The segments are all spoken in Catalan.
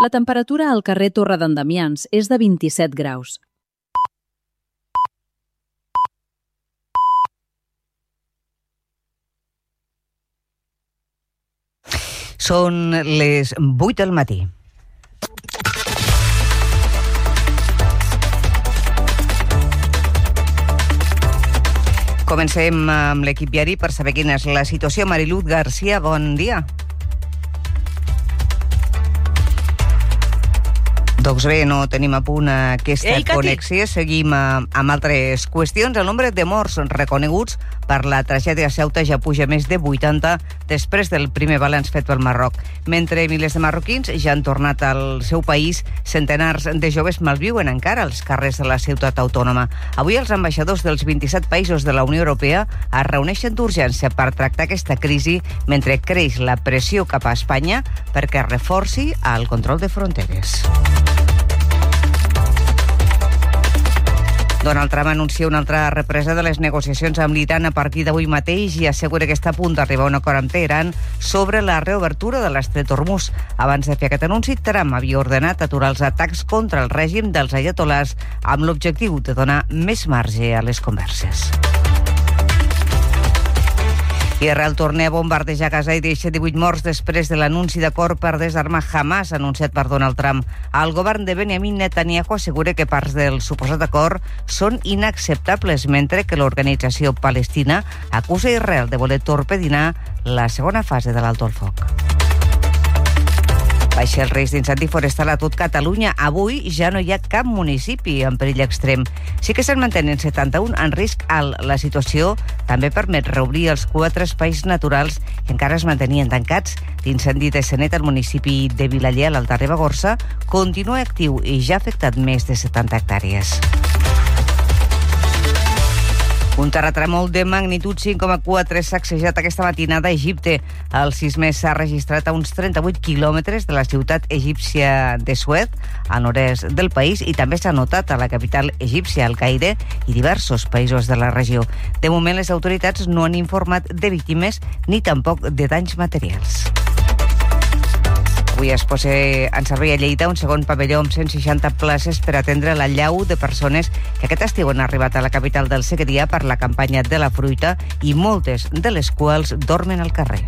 La temperatura al carrer Torre d'en Damians és de 27 graus. Són les 8 del matí. Comencem amb l'equip diari per saber quina és la situació. Mariluz García, bon dia. Doncs bé, no tenim a punt aquesta connexió. Seguim amb altres qüestions. El nombre de morts reconeguts per la tragèdia a Ceuta ja puja més de 80 després del primer balanç fet pel Marroc. Mentre milers de marroquins ja han tornat al seu país, centenars de joves malviuen encara als carrers de la ciutat autònoma. Avui els ambaixadors dels 27 països de la Unió Europea es reuneixen d'urgència per tractar aquesta crisi mentre creix la pressió cap a Espanya perquè reforci el control de fronteres. Donald Trump anuncia una altra represa de les negociacions amb l'Iran a partir d'avui mateix i assegura que està a punt d'arribar a un acord amb Teheran sobre la reobertura de l'estret Hormuz. Abans de fer aquest anunci, Trump havia ordenat aturar els atacs contra el règim dels ayatolars amb l'objectiu de donar més marge a les converses. Israel torna a bombardejar Gaza i deixa 18 morts després de l'anunci d'acord per desarmar Hamas anunciat per Donald Trump. El govern de Benjamin Netanyahu assegura que parts del suposat acord són inacceptables, mentre que l'organització palestina acusa Israel de voler torpedinar la segona fase de l'alto el foc. Baixa el risc d'incendi forestal a tot Catalunya. Avui ja no hi ha cap municipi en perill extrem. Sí que se'n mantenen 71 en risc alt. La situació també permet reobrir els 4 espais naturals que encara es mantenien tancats. L'incendi de Sanet al municipi de Vilaller, a l'Alta Ribagorça, continua actiu i ja ha afectat més de 70 hectàrees. Un terratrèmol de magnitud 5,4 s'ha sacsejat aquesta matinada a Egipte. El sisme s'ha registrat a uns 38 quilòmetres de la ciutat egípcia de Suez, al nord-est del país, i també s'ha notat a la capital egípcia, el Caire, i diversos països de la regió. De moment, les autoritats no han informat de víctimes ni tampoc de danys materials. Avui es posa en servei a Lleida un segon pavelló amb 160 places per atendre l'allau de persones que aquest estiu han arribat a la capital del Segrià per la campanya de la fruita i moltes de les quals dormen al carrer.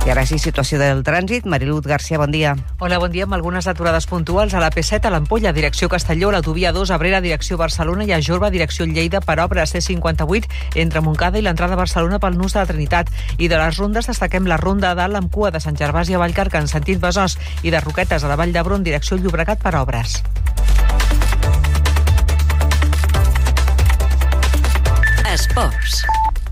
I ara sí, situació del trànsit. Mariluz García, bon dia. Hola, bon dia. Amb algunes aturades puntuals a la P7 a l'Ampolla, direcció Castelló, l'autovia 2 Abrera, direcció Barcelona, i a Jorba, direcció Lleida, per obra C58 entre Montcada i l'entrada a Barcelona pel nus de la Trinitat. I de les rondes destaquem la ronda dalt amb cua de Sant Gervasi a Vallcarca en sentit Besòs i de Roquetes a la Vall d'Hebron, direcció Llobregat, per obres. Esports.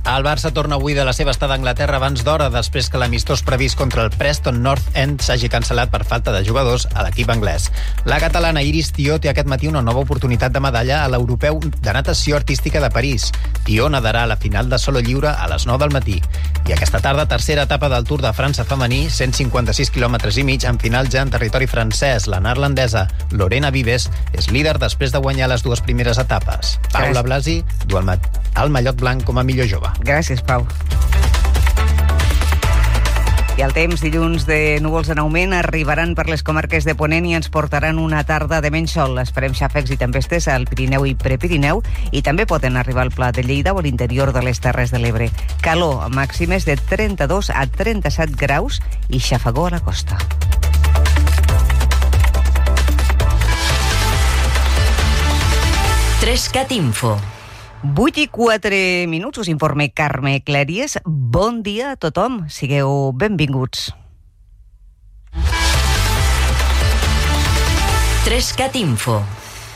El Barça torna avui de la seva estada a Anglaterra abans d'hora, després que l'amistós previst contra el Preston North End s'hagi cancel·lat per falta de jugadors a l'equip anglès. La catalana Iris Tió té aquest matí una nova oportunitat de medalla a l'Europeu de Natació Artística de París. Tió nedarà a la final de solo lliure a les 9 del matí. I aquesta tarda, tercera etapa del Tour de França femení, 156 quilòmetres i mig, en final ja en territori francès. La neerlandesa Lorena Vives és líder després de guanyar les dues primeres etapes. Paula Blasi du el mallot blanc com a millor jove. Gràcies, Pau. I el temps, dilluns de núvols en augment, arribaran per les comarques de Ponent i ens portaran una tarda de menys sol. Esperem xàfecs i tempestes al Pirineu i Prepirineu i també poden arribar al Pla de Lleida o a l'interior de les Terres de l'Ebre. Calor, màximes de 32 a 37 graus i xafagó a la costa. Trescat Info. 8 i 4 minuts, us informa Carme Clèries. Bon dia a tothom, sigueu benvinguts. Trescat Info.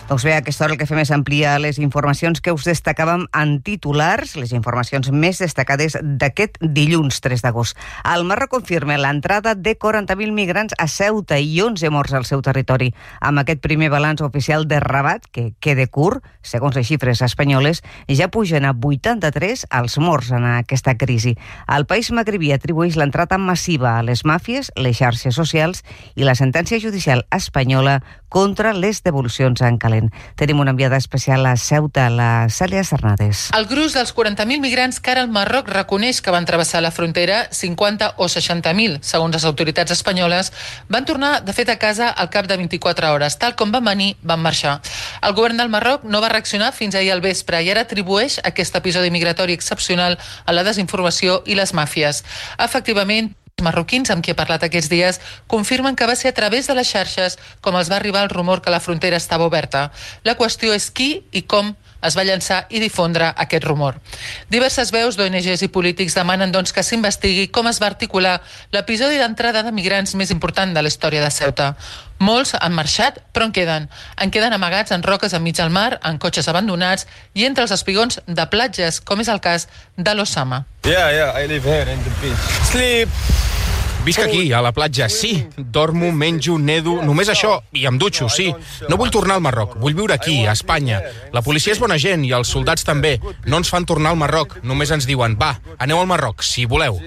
Doncs bé, a aquesta hora el que fem és ampliar les informacions que us destacàvem en titulars, les informacions més destacades d'aquest dilluns 3 d'agost. El Marroc confirma l'entrada de 40.000 migrants a Ceuta i 11 morts al seu territori. Amb aquest primer balanç oficial de Rabat, que queda curt, segons les xifres espanyoles, ja pugen a 83 els morts en aquesta crisi. El país magrebí atribueix l'entrada massiva a les màfies, les xarxes socials i la sentència judicial espanyola contra les devolucions en calendari. Jerusalem. Tenim una enviada especial a Ceuta, la Cèlia Cernades. El gruix dels 40.000 migrants que ara el Marroc reconeix que van travessar la frontera, 50 o 60.000, segons les autoritats espanyoles, van tornar de fet a casa al cap de 24 hores. Tal com van venir, van marxar. El govern del Marroc no va reaccionar fins ahir al vespre i ara atribueix aquest episodi migratori excepcional a la desinformació i les màfies. Efectivament, els marroquins amb qui he parlat aquests dies confirmen que va ser a través de les xarxes com els va arribar el rumor que la frontera estava oberta. La qüestió és qui i com es va llançar i difondre aquest rumor. Diverses veus d'ONGs i polítics demanen doncs que s'investigui com es va articular l'episodi d'entrada de migrants més important de la història de Ceuta. Molts han marxat, però en queden amagats en roques enmig del mar, en cotxes abandonats i entre els espigons de platges, com és el cas de l'Osama. I live here in the beach. Sleep. Visc aquí, a la platja, sí. Dormo, menjo, nedo, només això. I em dutxo, sí. No vull tornar al Marroc, vull viure aquí, a Espanya. La policia és bona gent i els soldats també. No ens fan tornar al Marroc, només ens diuen, va, aneu al Marroc, si voleu.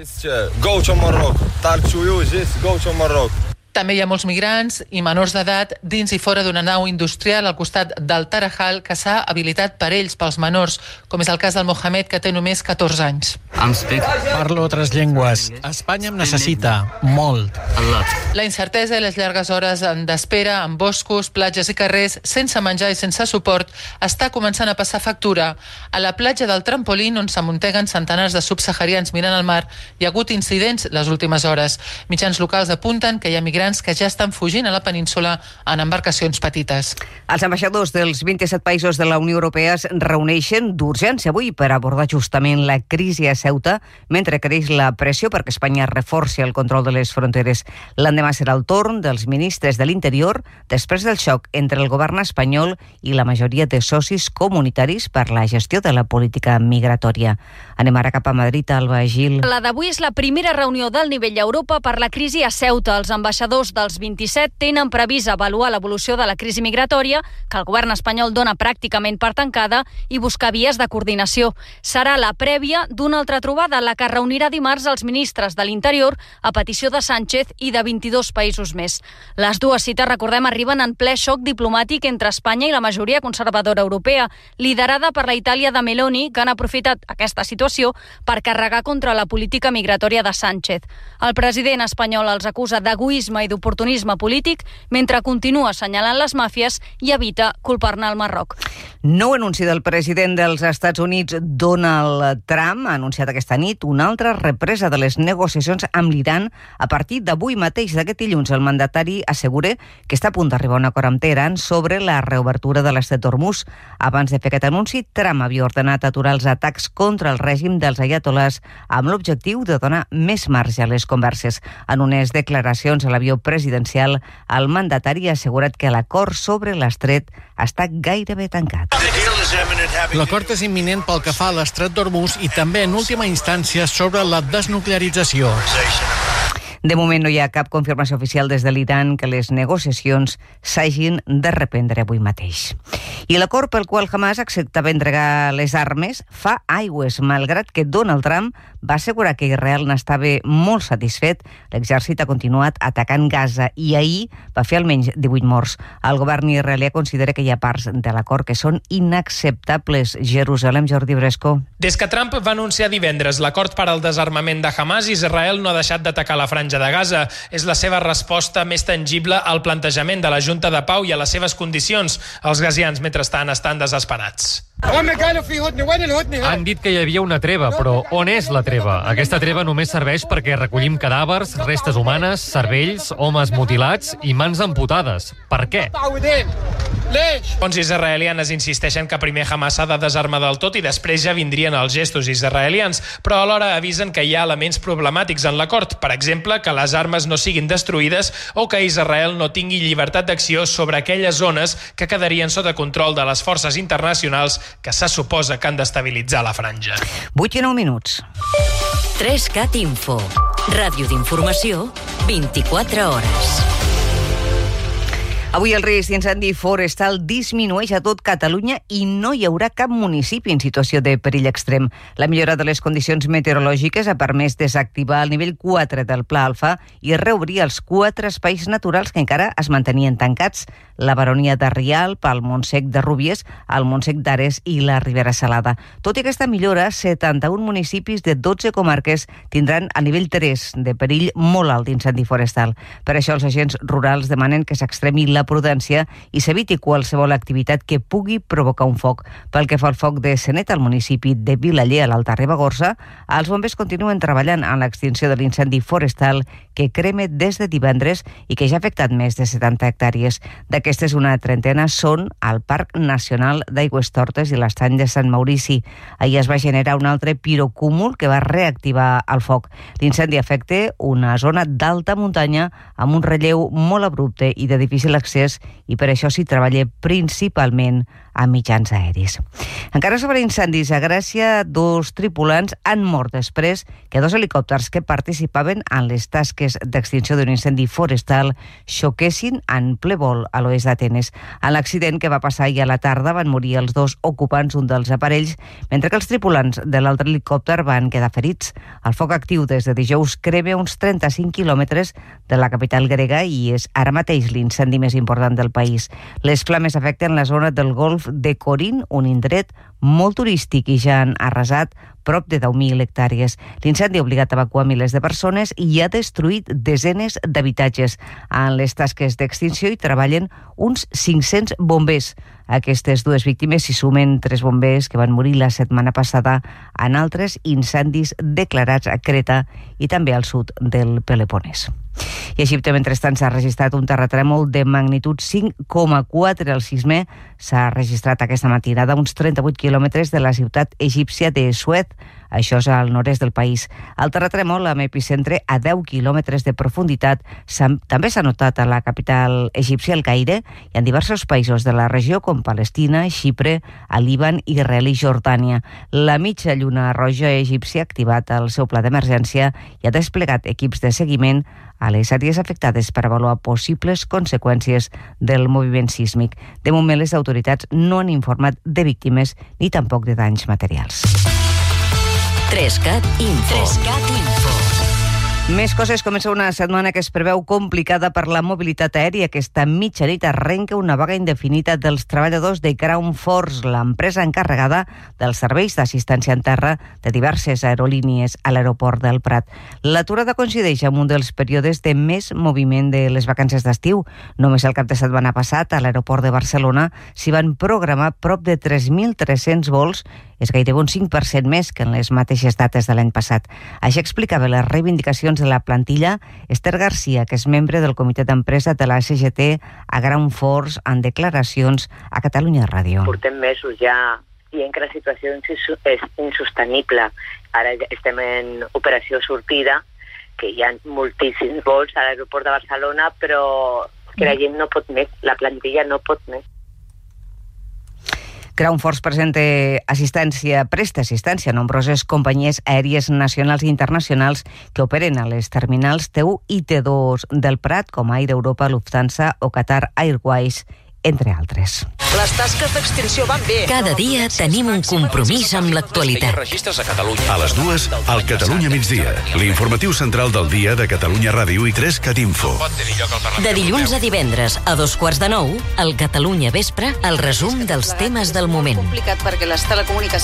Go to Marroc. Talk to you, just go to Marroc. També hi ha molts migrants i menors d'edat dins i fora d'una nau industrial al costat del Tarajal que s'ha habilitat per ells, pels menors, com és el cas del Mohamed, que té només 14 anys. Parlo 3 llengües. Espanya em necessita molt. La incertesa i les llargues hores d'espera en boscos, platges i carrers, sense menjar i sense suport, està començant a passar factura. A la platja del Trampolín, on s'amunteguen centenars de subsaharians mirant al mar, hi ha hagut incidents les últimes hores. Mitjans locals apunten que hi ha migrants que ja estan fugint a la península en embarcacions petites. Els ambaixadors dels 27 països de la Unió Europea es reuneixen d'urgència avui per abordar justament la crisi a Ceuta, mentre creix la pressió perquè Espanya reforci el control de les fronteres. L'endemà serà el torn dels ministres de l'Interior després del xoc entre el govern espanyol i la majoria de socis comunitaris per la gestió de la política migratòria. Anem ara cap a Madrid, Alba Gil. La d'avui és la primera reunió del nivell Europa per la crisi a Ceuta. Els ambaixadors dels 27 tenen previst avaluar l'evolució de la crisi migratòria, que el govern espanyol dona pràcticament per tancada, i buscar vies de coordinació. Serà la prèvia d'una altra trobada, la que reunirà dimarts els ministres de l'Interior a petició de Sánchez i de 22 països més. Les dues cites, recordem, arriben en ple xoc diplomàtic entre Espanya i la majoria conservadora europea, liderada per la Itàlia de Meloni, que han aprofitat aquesta situació per carregar contra la política migratòria de Sánchez. El president espanyol els acusa d'egoisme i d'oportunisme polític, mentre continua assenyalant les màfies i evita culpar-ne el Marroc. Nou anunci del president dels Estats Units, Donald Trump, ha anunciat aquesta nit una altra represa de les negociacions amb l'Iran a partir d'avui mateix, d'aquest dilluns. El mandatari assegura que està a punt d'arribar a un acord amb Teheran sobre la reobertura de l'estret d'Hormuz. Abans de fer aquest anunci, Trump havia ordenat aturar els atacs contra el règim dels aiatolars amb l'objectiu de donar més marge a les converses. En unes declaracions a l'avió presidencial, el mandatari ha assegurat que l'acord sobre l'estret està gairebé tancat. L'acord és imminent pel que fa a l'estret d'Hormuz i també, en última instància, sobre la desnuclearització. De moment no hi ha cap confirmació oficial des de l'Iran que les negociacions s'hagin de reprendre avui mateix. I l'acord pel qual Hamas acceptava entregar les armes fa aigües, malgrat que Donald Trump va assegurar que Israel n'estava molt satisfet. L'exèrcit ha continuat atacant Gaza i ahir va fer almenys 18 morts. El govern israelià considera que hi ha parts de l'acord que són inacceptables. Jerusalem, Jordi Bresco. Des que Trump va anunciar divendres l'acord per al desarmament de Hamas, Israel no ha deixat d'atacar la franja de Gaza. És la seva resposta més tangible al plantejament de la Junta de Pau i a les seves condicions. Els gazians, mentrestant, estan desesperats. Han dit que hi havia una treva, però on és la treva? Aquesta treva només serveix perquè recollim cadàvers, restes humanes, cervells, homes mutilats i mans amputades. Per què? Fonts israelianes insisteixen que primer Hamas s'ha de desarmar del tot i després ja vindrien els gestos israelians, però alhora avisen que hi ha elements problemàtics en l'acord, per exemple, que les armes no siguin destruïdes o que Israel no tingui llibertat d'acció sobre aquelles zones que quedarien sota control de les forces internacionals que se suposa que han d'estabilitzar la franja. 8 i 9 minuts. 3CAT Info. Ràdio d'informació, 24 hores. Avui el risc d'incendi forestal disminueix a tot Catalunya i no hi haurà cap municipi en situació de perill extrem. La millora de les condicions meteorològiques ha permès desactivar el nivell 4 del Pla Alfa i reobrir els 4 espais naturals que encara es mantenien tancats: la Baronia de Rialp, el Montsec de Rúbies, el Montsec d'Ares i la Ribera Salada. Tot i aquesta millora, 71 municipis de 12 comarques tindran a nivell 3 de perill molt alt d'incendi forestal. Per això els agents rurals demanen que s'extremi la prudència i s'eviti qualsevol activitat que pugui provocar un foc. Pel que fa al foc de Senet, al municipi de Vilaller, a l'Alta Ribagorça, els bombers continuen treballant en l'extinció de l'incendi forestal que crema des de divendres i que ja ha afectat més de 70 hectàrees. D'aquestes, una trentena són al Parc Nacional d'Aigüestortes i l'Estany de Sant Maurici. Ahir es va generar un altre pirocúmul que va reactivar el foc. L'incendi afecta una zona d'alta muntanya amb un relleu molt abrupte i de difícil accés, i per això s'hi treballa principalment a mitjans aeris. Encara sobre incendis, a Gràcia, 2 tripulants han mort després que 2 helicòpters que participaven en les tasques d'extinció d'un incendi forestal xoquessin en ple vol a l'oest d'Atenes. En l'accident que va passar ahir a la tarda van morir els 2 ocupants d'un dels aparells, mentre que els tripulants de l'altre helicòpter van quedar ferits. El foc actiu des de dijous crema uns 35 quilòmetres de la capital grega i és ara mateix l'incendi més important del país. Les flames afecten la zona del golf de Corint, un indret molt turístic, i ja han arrasat prop de 10.000 hectàrees. L'incendi ha obligat a evacuar milers de persones i ha destruït desenes d'habitatges. En les tasques d'extinció hi treballen uns 500 bombers. A aquestes 2 víctimes s'hi sumen 3 bombers que van morir la setmana passada en altres incendis declarats a Creta i també al sud del Peloponès. I a Egipte, mentrestant, s'ha registrat un terratrèmol de magnitud 5,4. El sisme s'ha registrat aquesta matinada a uns 38 quilòmetres de la ciutat egípcia de Suez. Això és al nord-est del país. El terratrèmol, amb epicentre a 10 quilòmetres de profunditat, també s'ha notat a la capital egípcia, el Caire, i en diversos països de la regió, com Palestina, Xipre, el Líban, Israel i Jordània. La mitja lluna roja egípcia ha activat el seu pla d'emergència i ha desplegat equips de seguiment a les àrees afectades per avaluar possibles conseqüències del moviment sísmic. De moment, les autoritats no han informat de víctimes ni tampoc de danys materials. 3CAT Info. Més coses. Comença una setmana que es preveu complicada per la mobilitat aèria. Aquesta mitjanit arrenca una vaga indefinida dels treballadors de Ground Force, l'empresa encarregada dels serveis d'assistència en terra de diverses aerolínies a l'aeroport del Prat. L'aturada coincideix amb un dels períodes de més moviment de les vacances d'estiu. Només el cap de setmana passat, a l'aeroport de Barcelona, s'hi van programar prop de 3.300 vols, és gairebé un 5% més que en les mateixes dates de l'any passat. Això explicava les reivindicacions de la plantilla Esther Garcia, que és membre del comitè d'empresa de la CGT a Ground Force, en declaracions a Catalunya Ràdio. Portem mesos ja dient que la situació és insostenible. Ara estem en operació sortida, que hi ha moltíssims vols a l'aeroport de Barcelona, però que la gent no pot més, la plantilla no pot més. Ground Force presta assistència a nombroses companyies aèries nacionals i internacionals que operen a les terminals T1 i T2 del Prat, com Air Europa, Lufthansa o Qatar Airways, entre altres. Les tasques d'extinció van bé. Cada dia tenim un compromís amb l'actualitat. A les 2, al Catalunya migdia, l'informatiu central del dia de Catalunya Ràdio i 3CAT Info. De dilluns a divendres a 2:15, al Catalunya Vespre, el resum dels temes del moment.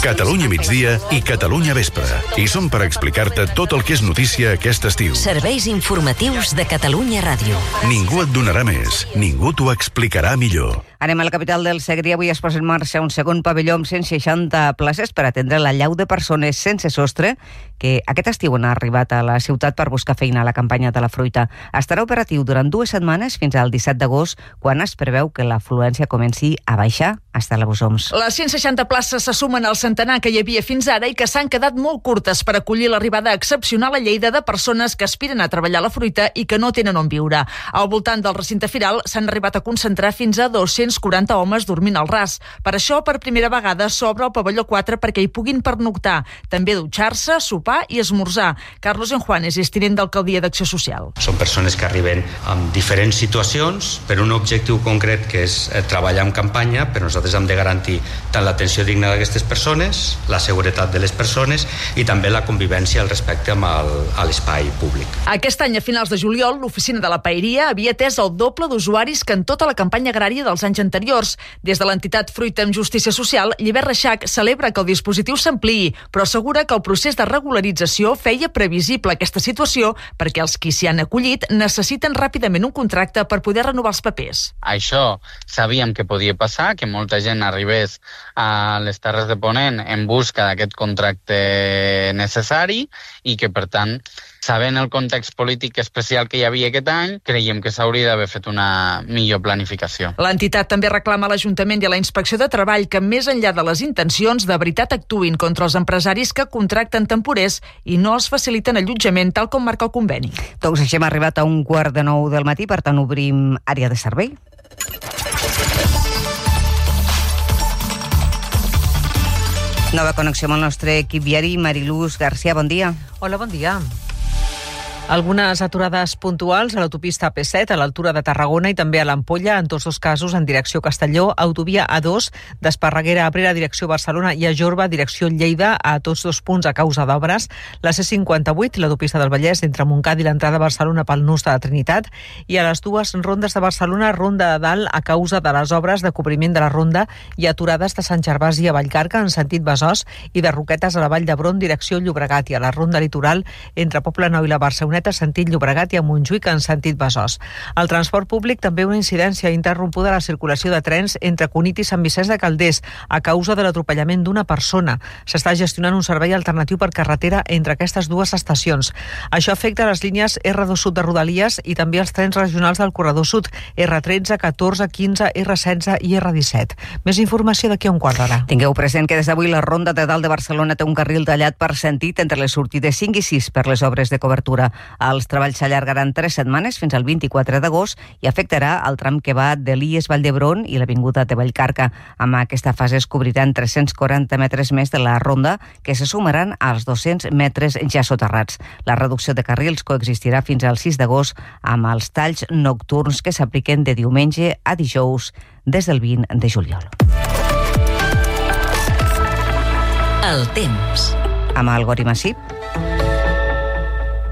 Catalunya migdia i Catalunya Vespre. I som per explicar-te tot el que és notícia aquest estiu. Serveis informatius de Catalunya Ràdio. Ningú et donarà més, ningú t'ho explicarà millor. Anem a la capital del Segrià. Avui es posa en marxa un segon pavelló amb 160 places per atendre la llau de persones sense sostre que aquest estiu han arribat a la ciutat per buscar feina a la campanya de la fruita. Estarà operatiu durant 2 setmanes fins al 17 d'agost, quan es preveu que l'afluència comenci a baixar fins a la Busoms. Les 160 places se sumen al centenar que hi havia fins ara i que s'han quedat molt curtes per acollir l'arribada excepcional a Lleida de persones que aspiren a treballar la fruita i que no tenen on viure. Al voltant del recinte firal s'han arribat a concentrar fins a 200 240 homes dormint al ras. Per això, per primera vegada, s'obre el pavelló 4 perquè hi puguin pernoctar, també dutxar-se, sopar i esmorzar. Carlos Enjuanes és tinent d'alcaldia d'Acció Social. Són persones que arriben amb diferents situacions per un objectiu concret que és treballar en campanya, però nosaltres hem de garantir tant l'atenció digna d'aquestes persones, la seguretat de les persones i també la convivència i el respecte amb l'espai públic. Aquest any, a finals de juliol, l'oficina de la Paeria havia atès el doble d'usuaris que en tota la campanya agrària dels anys anteriors. Des de l'entitat Fruita amb Justícia Social, Llibert Reixac celebra que el dispositiu s'ampliï, però assegura que el procés de regularització feia previsible aquesta situació perquè els qui s'hi han acollit necessiten ràpidament un contracte per poder renovar els papers. Això sabíem que podia passar, que molta gent arribés a les Terres de Ponent en busca d'aquest contracte necessari i que, per tant, sabent el context polític especial que hi havia aquest any, creiem que s'hauria d'haver fet una millor planificació. L'entitat també reclama a l'Ajuntament i a la Inspecció de Treball que, més enllà de les intencions, de veritat actuïn contra els empresaris que contracten temporers i no els faciliten allotjament tal com marca el conveni. Doncs així hem arribat a 8:45 del matí, per tant obrim àrea de servei. Nova connexió amb el nostre equip viari. Mariluz García, bon dia. Hola, bon dia. Algunes aturades puntuals a l'autopista AP7 a l'altura de Tarragona i també a l'Ampolla, en tots dos casos en direcció Castelló, autovia A2 d'Esparreguera a Abrera, direcció Barcelona, i a Jorba, direcció Lleida, a tots dos punts a causa d'obres. La C58, l'autopista del Vallès, entre Montcada i l'entrada a Barcelona pel nus de la Trinitat, i a les dues rondes de Barcelona, Ronda de Dalt, a causa de les obres de cobriment de la ronda, i aturades de Sant Gervasi a Vallcarca, en sentit Besòs, i de Roquetes a la Vall d'Hebron, direcció Llobregat, i a la ronda litoral entre Poblenou i la Barceloneta, sentit Llobregat, i a Montjuïc en sentit Besòs. El transport públic també una incidència interrompuda a la circulació de trens entre Cunit i Sant Vicenç de Calders a causa de l'atropellament d'una persona. S'està gestionant un servei alternatiu per carretera entre aquestes dues estacions. Això afecta les línies R2 Sud de Rodalies i també els trens regionals del Corredor Sud, R13, 14, 15, R16 i R17. Més informació d'aquí a un quart d'hora. Tingueu present que des d'avui la Ronda de Dalt de Barcelona té un carril tallat per sentit entre les sortides 5 i 6 per les obres de cobertura. Els treballs s'allargaran 3 setmanes fins al 24 d'agost i afectarà el tram que va de l'IES Vall d'Hebron i l'avinguda de Vallcarca. Amb aquesta fase es cobriran 340 metres més de la ronda, que se sumaran als 200 metres ja soterrats. La reducció de carrils coexistirà fins al 6 d'agost amb els talls nocturns que s'apliquen de diumenge a dijous des del 20 de juliol. El temps. Amb el Gori Massip.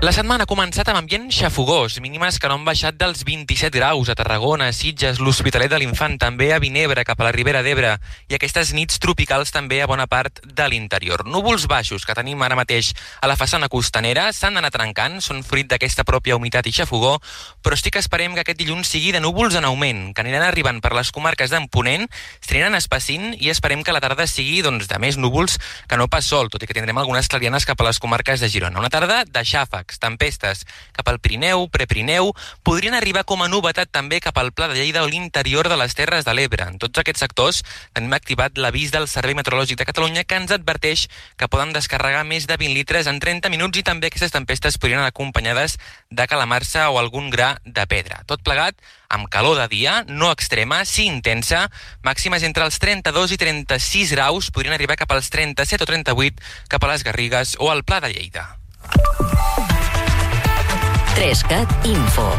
La setmana ha començat amb ambient xafogós, mínimes que no han baixat dels 27 graus a Tarragona, Sitges, l'Hospitalet de l'Infant, també a Vinebre, cap a la Ribera d'Ebre, i aquestes nits tropicals també a bona part de l'interior. Núvols baixos que tenim ara mateix a la façana costanera s'han d'anar trencant, són fruit d'aquesta pròpia humitat i xafogó, però sí que esperem que aquest dilluns sigui de núvols en augment, que aniran arribant per les comarques d'en Ponent, s'aniran espessint i esperem que la tarda sigui de més núvols que no pas sol, tot i que tindrem algunes clarianes cap a les comarques de Girona. Una tarda de xàfecs, tempestes cap al Pirineu, Prepirineu, podrien arribar com a novetat també cap al Pla de Lleida o l'interior de les Terres de l'Ebre. En tots aquests sectors tenim activat l'avís del Servei Meteorològic de Catalunya que ens adverteix que poden descarregar més de 20 litres en 30 minuts i també aquestes tempestes podrien anar acompanyades de calamarsa o algun gra de pedra. Tot plegat amb calor de dia, no extrema, sí intensa, màximes entre els 32 i 36 graus, podrien arribar cap als 37 o 38 cap a les Garrigues o al Pla de Lleida. 3CAT Info.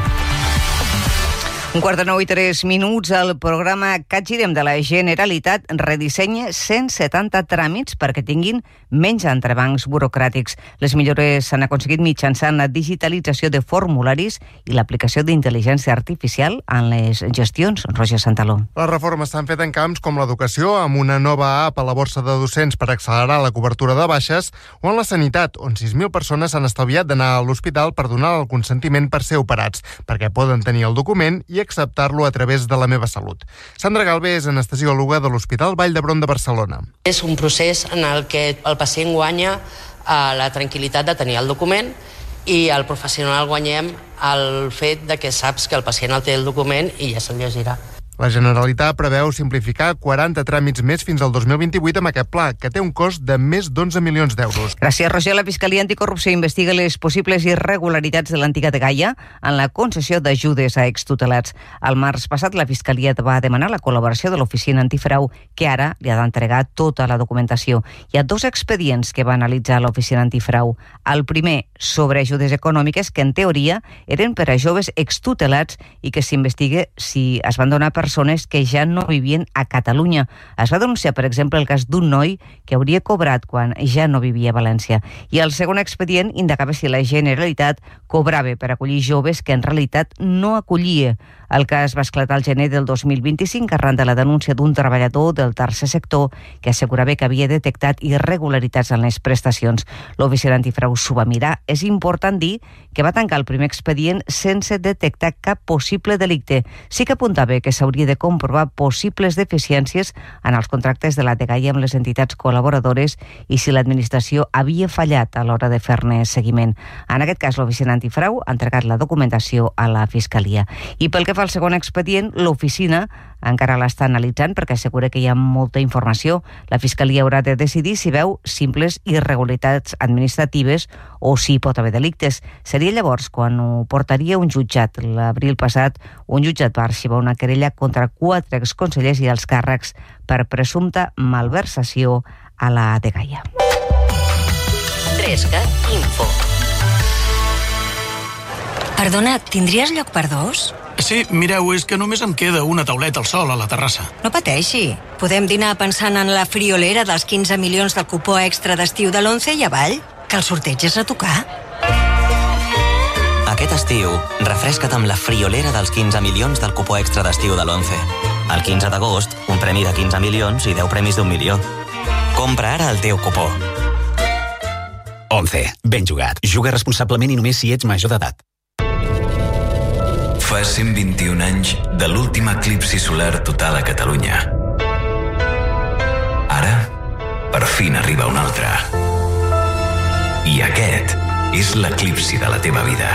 8:09 el programa CatGirem de la Generalitat redissenya 170 tràmits perquè tinguin menys entrebancs burocràtics. Les millores s'han aconseguit mitjançant la digitalització de formularis i l'aplicació d'intel·ligència artificial en les gestions. Roger Santaló. Les reformes s'han fet en camps com l'educació, amb una nova app a la borsa de docents per accelerar la cobertura de baixes, o en la sanitat, on 6.000 persones s'han estalviat d'anar a l'hospital per donar el consentiment per ser operats, perquè poden tenir el document i acceptar-lo a través de La Meva Salut. Sandra Galvé és anestesiòloga de l'Hospital Vall d'Hebron de Barcelona. És un procés en el que el pacient guanya la tranquil·litat de tenir el document i el professional guanyem el fet de que saps que el pacient el té el document i ja se'l llegirà. La Generalitat preveu simplificar 40 tràmits més fins al 2028 amb aquest pla, que té un cost de més d'11 milions d'euros. Gràcies, Roger. La Fiscalia Anticorrupció investiga les possibles irregularitats de l'antiga Dgaia en la concessió d'ajudes a extutelats. El març passat, la Fiscalia va demanar la col·laboració de l'Oficina Antifrau, que ara li ha d'entregar tota la documentació. Hi ha 2 expedients que va analitzar l'Oficina Antifrau. El primer, sobre ajudes econòmiques, que en teoria eren per a joves extutelats i que s'investiga si es van donar persones que ja no vivien a Catalunya. Es va denunciar, per exemple, el cas d'un noi que hauria cobrat quan ja no vivia a València. I el segon expedient indagava si la Generalitat cobrava per acollir joves que en realitat no acollia. El cas va esclatar al gener del 2025 arran de la denúncia d'un treballador del tercer sector que assegurava que havia detectat irregularitats en les prestacions. L'Oficina Antifrau s'ho va mirar. És important dir que va tancar el primer expedient sense detectar cap possible delicte. Sí que apuntava que s'hauria de comprovar possibles deficiències en els contractes de la Dgaia amb les entitats col·laboradores i si l'administració havia fallat a l'hora de fer-ne seguiment. En aquest cas, l'Oficina Antifrau ha entregat la documentació a la Fiscalia. I pel que fa al segon expedient, l'oficina encara l'està analitzant perquè assegura que hi ha molta informació. La Fiscalia haurà de decidir si veu simples irregularitats administratives o si pot haver delictes. Seria llavors quan ho portaria un jutjat. L'abril passat, un jutjat va arxivar una querella contra 4 exconsellers i els càrrecs per presumpta malversació a la Dgaia. 3CAT Info. Perdona, tindries lloc per 2? Sí, mireu, és que només em queda una tauleta al sol a la terrassa. No pateixi. Podem dinar pensant en la friolera dels 15 milions del cupó extra d'estiu de l'11 i avall, que el sorteig és a tocar. Aquest estiu, refresca't amb la friolera dels 15 milions del cupó extra d'estiu de l'11. El 15 d'agost, un premi de 15 milions i 10 premis d'1 milió. Compra ara el teu cupó. 11. Ben jugat. Juga responsablement i només si ets major d'edat. Fa 121 anys de l'últim eclipsi solar total a Catalunya. Ara, per fi n'arriba un altre. I aquest és l'eclipsi de la teva vida,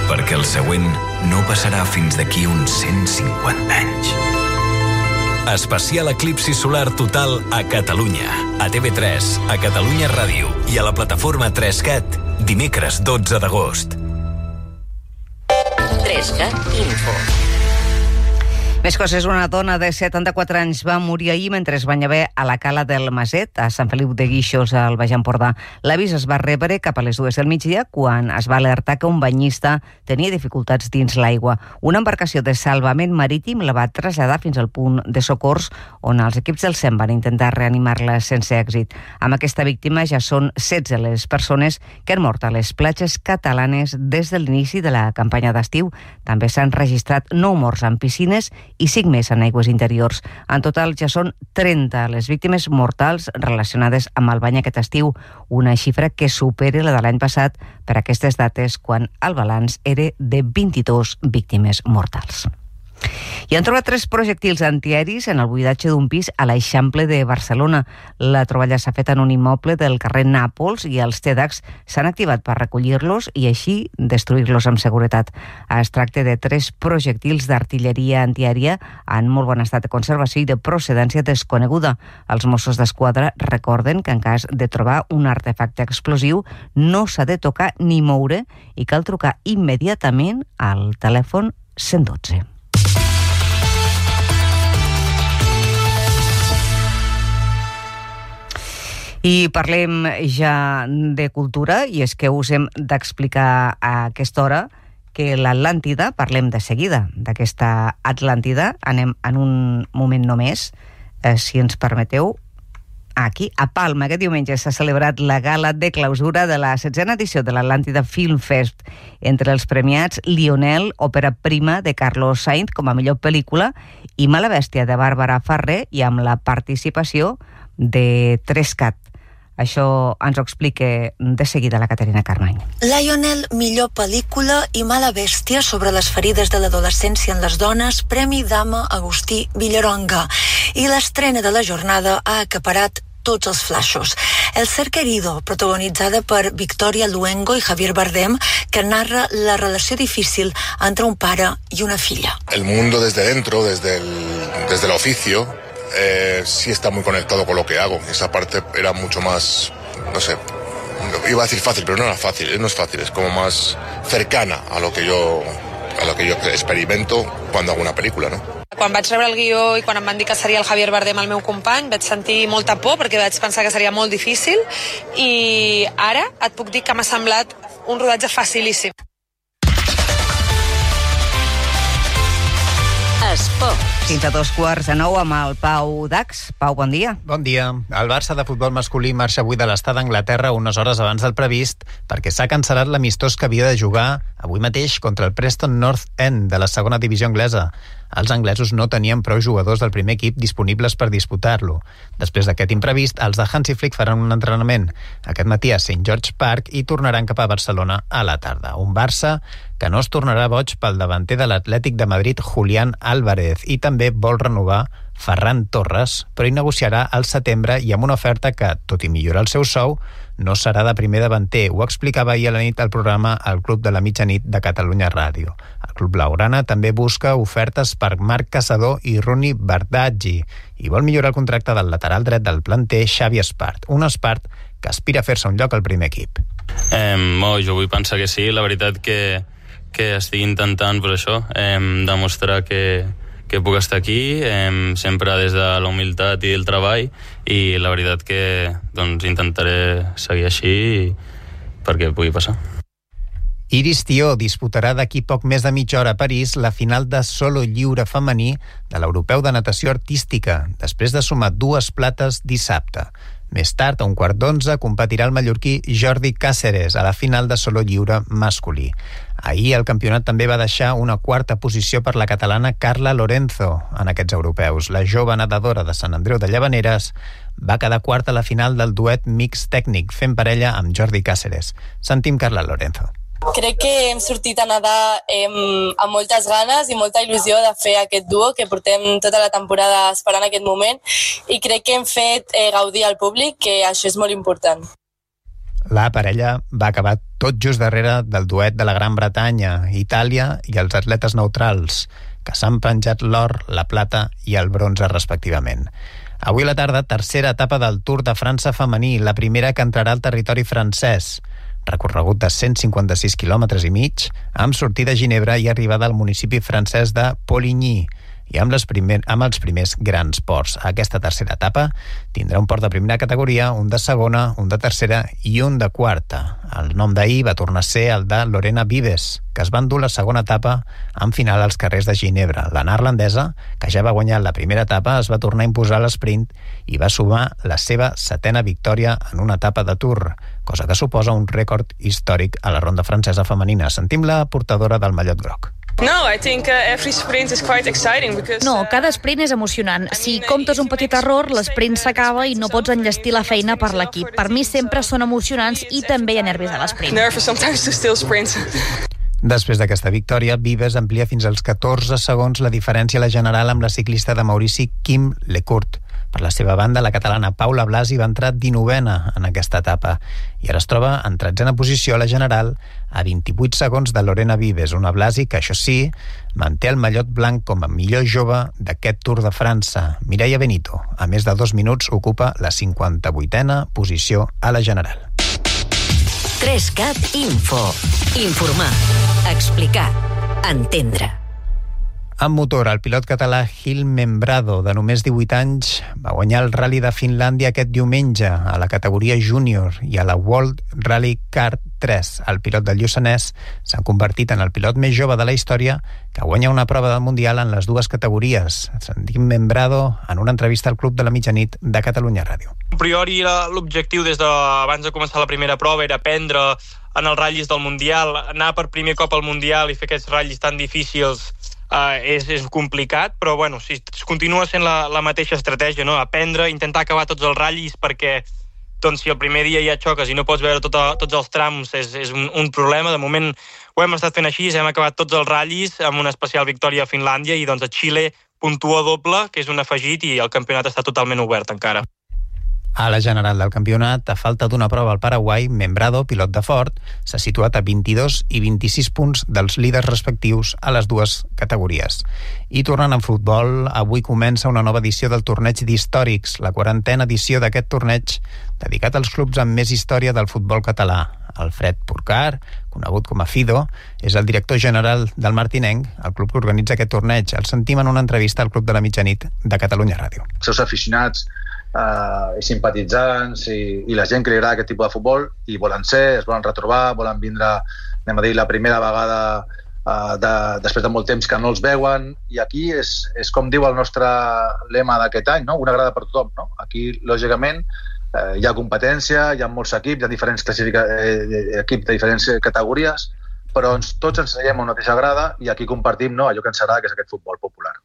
perquè el següent no passarà fins d'aquí uns 150 anys. Especial eclipsi solar total a Catalunya, a TV3, a Catalunya Ràdio i a la plataforma 3CAT, dimecres 12 d'agost. 3CAT Info. Més coses. Una dona de 74 anys va morir ahir mentre es banyava a la cala del Maset, a Sant Feliu de Guíxols, al Baix Empordà. L'avís es va rebre cap a les 2 del migdia, quan es va alertar que un banyista tenia dificultats dins l'aigua. Una embarcació de salvament marítim la va traslladar fins al punt de socors, on els equips del SEM van intentar reanimar-la sense èxit. Amb aquesta víctima ja són 16 les persones que han mort a les platges catalanes des de l'inici de la campanya d'estiu. També s'han registrat 9 morts en piscines i 5 més en aigües interiors. En total ja són 30 les víctimes mortals relacionades amb el bany aquest estiu, una xifra que supera la de l'any passat per aquestes dates, quan el balanç era de 22 víctimes mortals. I han trobat 3 projectils antiaeris en el buidatge d'un pis a l'Eixample de Barcelona. La troballa s'ha fet en un immoble del carrer Nàpols i els TEDx s'han activat per recollir-los i així destruir-los amb seguretat. Es tracta de 3 projectils d'artilleria antiaèria en molt bon estat de conservació i de procedència desconeguda. Els Mossos d'Esquadra recorden que en cas de trobar un artefacte explosiu no s'ha de tocar ni moure i cal trucar immediatament al telèfon 112. I parlem ja de cultura, i és que us hem d'explicar a aquesta hora que l'Atlàntida, parlem de seguida d'aquesta Atlàntida, anem en un moment només, si ens permeteu, aquí, a Palma. Aquest diumenge s'ha celebrat la gala de clausura de la 16a edició de l'Atlàntida Film Fest. Entre els premiats, Lionel, òpera prima de Carlos Sainz com a millor pel·lícula, i Mala bèstia de Bàrbara Ferrer, i amb la participació de 3CAT. Això ens ho explica de seguida la Caterina Carmany. Lionel, millor pel·lícula, i Mala bèstia, sobre les ferides de l'adolescència en les dones, Premi Dama Agustí Villaronga. I l'estrena de la jornada ha acaparat tots els flaixos. El cerca herido, protagonitzada per Victoria Luengo i Javier Bardem, que narra la relació difícil entre un pare i una filla. El mundo desde dentro, desde el oficio, sí está muy conectado con lo que hago. Esa parte era mucho más, no sé, iba a decir fácil, pero no era fácil, no es fácil, es como más cercana a lo que yo experimento cuando hago una película, ¿no? Quan vaig rebre el guió i quan em van dir que seria el Javier Bardem el meu company, vaig sentir molta por perquè vaig pensar que seria molt difícil i ara et puc dir que m'ha semblat un rodatge facilíssim. Esport. Fins a 8:45 amb el Pau Dax. Pau, bon dia. Bon dia. El Barça de futbol masculí marxa avui de l'estat d'Anglaterra unes hores abans del previst perquè s'ha cancel·lat l'amistós que havia de jugar avui mateix contra el Preston North End de la segona divisió anglesa. Els anglesos no tenien prou jugadors del primer equip disponibles per disputar-lo. Després d'aquest imprevist, els de Hansi Flick faran un entrenament aquest matí a St. George Park i tornaran cap a Barcelona a la tarda. Un Barça que no es tornarà boig pel davanter de l'Atlètic de Madrid, Julián Álvarez, i també vol renovar Ferran Torres, però hi negociarà al setembre i amb una oferta que, tot i millorar el seu sou, no serà de primer davanter. Ho explicava ahir a la nit al programa El Club de la Mitjanit de Catalunya Ràdio. El club blaugrana també busca ofertes per Marc Caçador i Rooney Bardghji i vol millorar el contracte del lateral dret del planter Xavi Espart, un Espart que aspira a fer-se un lloc al primer equip. Jo vull pensar que sí, la veritat que estic intentant per això, demostrar que puc estar aquí, sempre des de la humilitat i el treball, i la veritat que intentaré seguir així perquè pugui passar. Iris Tió disputarà d'aquí poc més de mitja hora a París la final de solo lliure femení de l'Europeu de Natació Artística, després de sumar 2 plates dissabte. Més tard, a 11:15, competirà el mallorquí Jordi Cáceres a la final de solo lliure masculí. Ahir el campionat també va deixar una 4a posició per la catalana Carla Lorenzo en aquests europeus. La jove nedadora de Sant Andreu de Llavaneres va quedar quarta a la final del duet mix tècnic, fent parella amb Jordi Cáceres. Sentim Carla Lorenzo. Crec que hem sortit a nedar amb moltes ganes i molta il·lusió de fer aquest duo que portem tota la temporada esperant aquest moment i crec que hem fet gaudir al públic, que això és molt important. La parella va acabar tot just darrere del duet de la Gran Bretanya, Itàlia i els atletes neutrals, que s'han penjat l'or, la plata i el bronze respectivament. Avui a la tarda, tercera etapa del Tour de França femení, la primera que entrarà al territori francès. Recorregut de 156 quilòmetres i mig, amb sortida a Ginebra i arribada al municipi francès de Poligny, i amb els primers grans ports. Aquesta tercera etapa tindrà un port de primera categoria, un de segona, un de tercera i un de quarta. El nom d'ahir va tornar a ser el de Lorena Vives, que es va endur la segona etapa en final als carrers de Ginebra. La neerlandesa, que ja va guanyar la primera etapa, es va tornar a imposar a l'esprint i va sumar la seva 7a victòria en una etapa de Tour, cosa que suposa un rècord històric a la ronda francesa femenina. Sentim la portadora del mallot groc. No, cada sprint és emocionant. Si comptes un petit error, l'esprint s'acaba i no pots enllestir la feina per l'equip. Per mi sempre són emocionants i també hi ha nervis a l'esprint. Després d'aquesta victòria, Vives amplia fins als 14 segons la diferència a la general amb la ciclista de Maurici Kim Lecourt. Per la seva banda, la catalana Paula Blasi va entrar 19a en aquesta etapa i ara es troba en 13a posició a la general a 28 segons de Lorena Vives, una Blasi que, això sí, manté el mallot blanc com a millor jove d'aquest Tour de França. Mireia Benito, a més de 2 minuts, ocupa la 58a posició a la general. 3CAT Info. Informar, explicar, entendre. En motor, el pilot català Gil Membrado, de només 18 anys, va guanyar el Rally de Finlàndia aquest diumenge a la categoria júnior i a la World Rally Kart 3. El pilot del Lluçanès s'ha convertit en el pilot més jove de la història que guanya una prova del Mundial en les dues categories. Sentim Membrado en una entrevista al Club de la Mitjanit de Catalunya Ràdio. A priori l'objectiu des d'abans de començar la primera prova era aprendre en els ratllis del Mundial, anar per primer cop al Mundial i fer aquests ratllis tan difícils és complicat, però bueno, si continua sent la mateixa estratègia, no? Aprendre, intentar acabar tots els ratllis perquè doncs, si el primer dia ja xoques i no pots veure tots els trams és un problema. De moment ho hem estat fent així, hem acabat tots els ratllis amb una especial victòria a Finlàndia i doncs a Xile puntua doble, que és un afegit, i el campionat està totalment obert encara. A la general del campionat, a falta d'una prova al Paraguai, Membrado, pilot de Ford, s'ha situat a 22 i 26 punts dels líders respectius a les dues categories. I tornant en futbol, avui comença una nova edició del torneig d'històrics, la 40a edició d'aquest torneig dedicat als clubs amb més història del futbol català. Alfred Porcar, conegut com a Fido, és el director general del Martinenc, el club que organitza aquest torneig. El sentim en una entrevista al Club de la Mitjanit de Catalunya Ràdio. Els seus aficionats i simpatitzants i la gent que li agrada aquest tipus de futbol i volen ser, es volen retrobar, volen vindre, anem a dir, la primera vegada després de molt temps que no els veuen, i aquí és com diu el nostre lema d'aquest any, no? Una grada per tothom, no? Aquí, lògicament, hi ha competència, hi ha molts equips, hi ha diferents equips de diferents categories, però tots ens seiem a una mateixa grada i aquí compartim, no, allò que ens agrada, que és aquest futbol popular.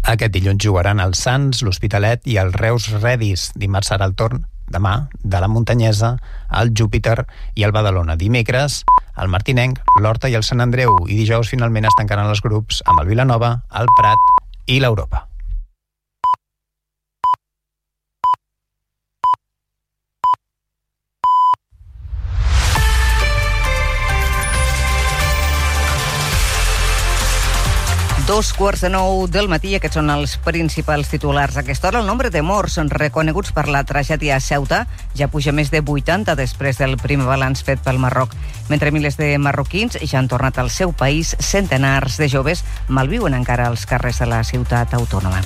Aquest dilluns jugaran el Sants, l'Hospitalet i el Reus Redis. Dimarts serà el torn, demà, de la Muntanyesa, el Júpiter i el Badalona. Dimecres, el Martinenc, l'Horta i el Sant Andreu. I dijous finalment es tancaran els grups amb el Vilanova, el Prat i l'Europa. Dos quarts de 9 del matí, aquests són els principals titulars. A aquesta hora el nombre de morts reconeguts per la tragèdia a Ceuta ja puja més de 80 després del primer balanç fet pel Marroc. Mentre milers de marroquins ja han tornat al seu país, centenars de joves malviuen encara als carrers de la ciutat autònoma.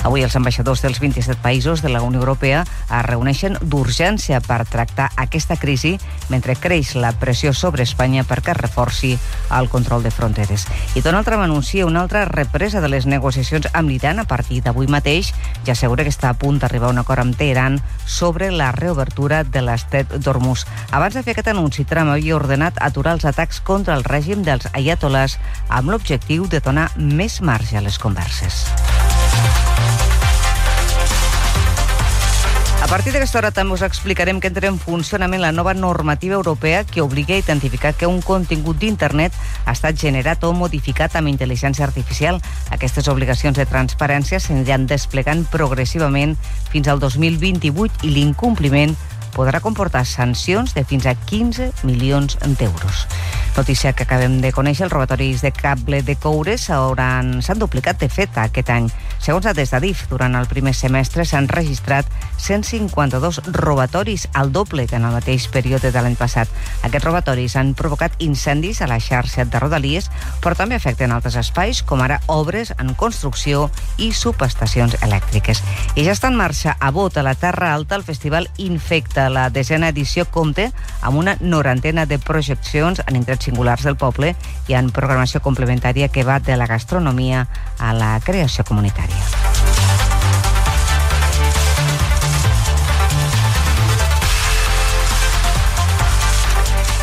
Avui els ambaixadors dels 27 països de la Unió Europea es reuneixen d'urgència per tractar aquesta crisi mentre creix la pressió sobre Espanya perquè es reforci el control de fronteres. I Donald Trump anuncia una altra represa de les negociacions amb l'Iran a partir d'avui mateix. Ja assegura que està a punt d'arribar a un acord amb Teheran sobre la reobertura de l'estret d'Hormuz. Abans de fer aquest anunci, Trump havia ordenat aturar els atacs contra el règim dels aiatolars amb l'objectiu de donar més marge a les converses. A partir d'aquesta hora també us explicarem que entra en funcionament la nova normativa europea que obliga a identificar que un contingut d'internet ha estat generat o modificat amb intel·ligència artificial. Aquestes obligacions de transparència s'aniran desplegant progressivament fins al 2028 i l'incompliment podrà comportar sancions de fins a 15 milions d'euros. Notícia que acabem de conèixer, els robatoris de cable de coure s'han duplicat de fet aquest any. Segons dades d'Adif, durant el primer semestre s'han registrat 152 robatoris, al doble que en el mateix període de l'any passat. Aquests robatoris han provocat incendis a la xarxa de Rodalies, però també afecten altres espais, com ara obres en construcció i subestacions elèctriques. I ja està en marxa a Bot, a la Terra Alta, el festival Infecta. La 10a edició compta amb una 90 de projeccions en indrets singulars del poble i en programació complementària que va de la gastronomia a la creació comunitària.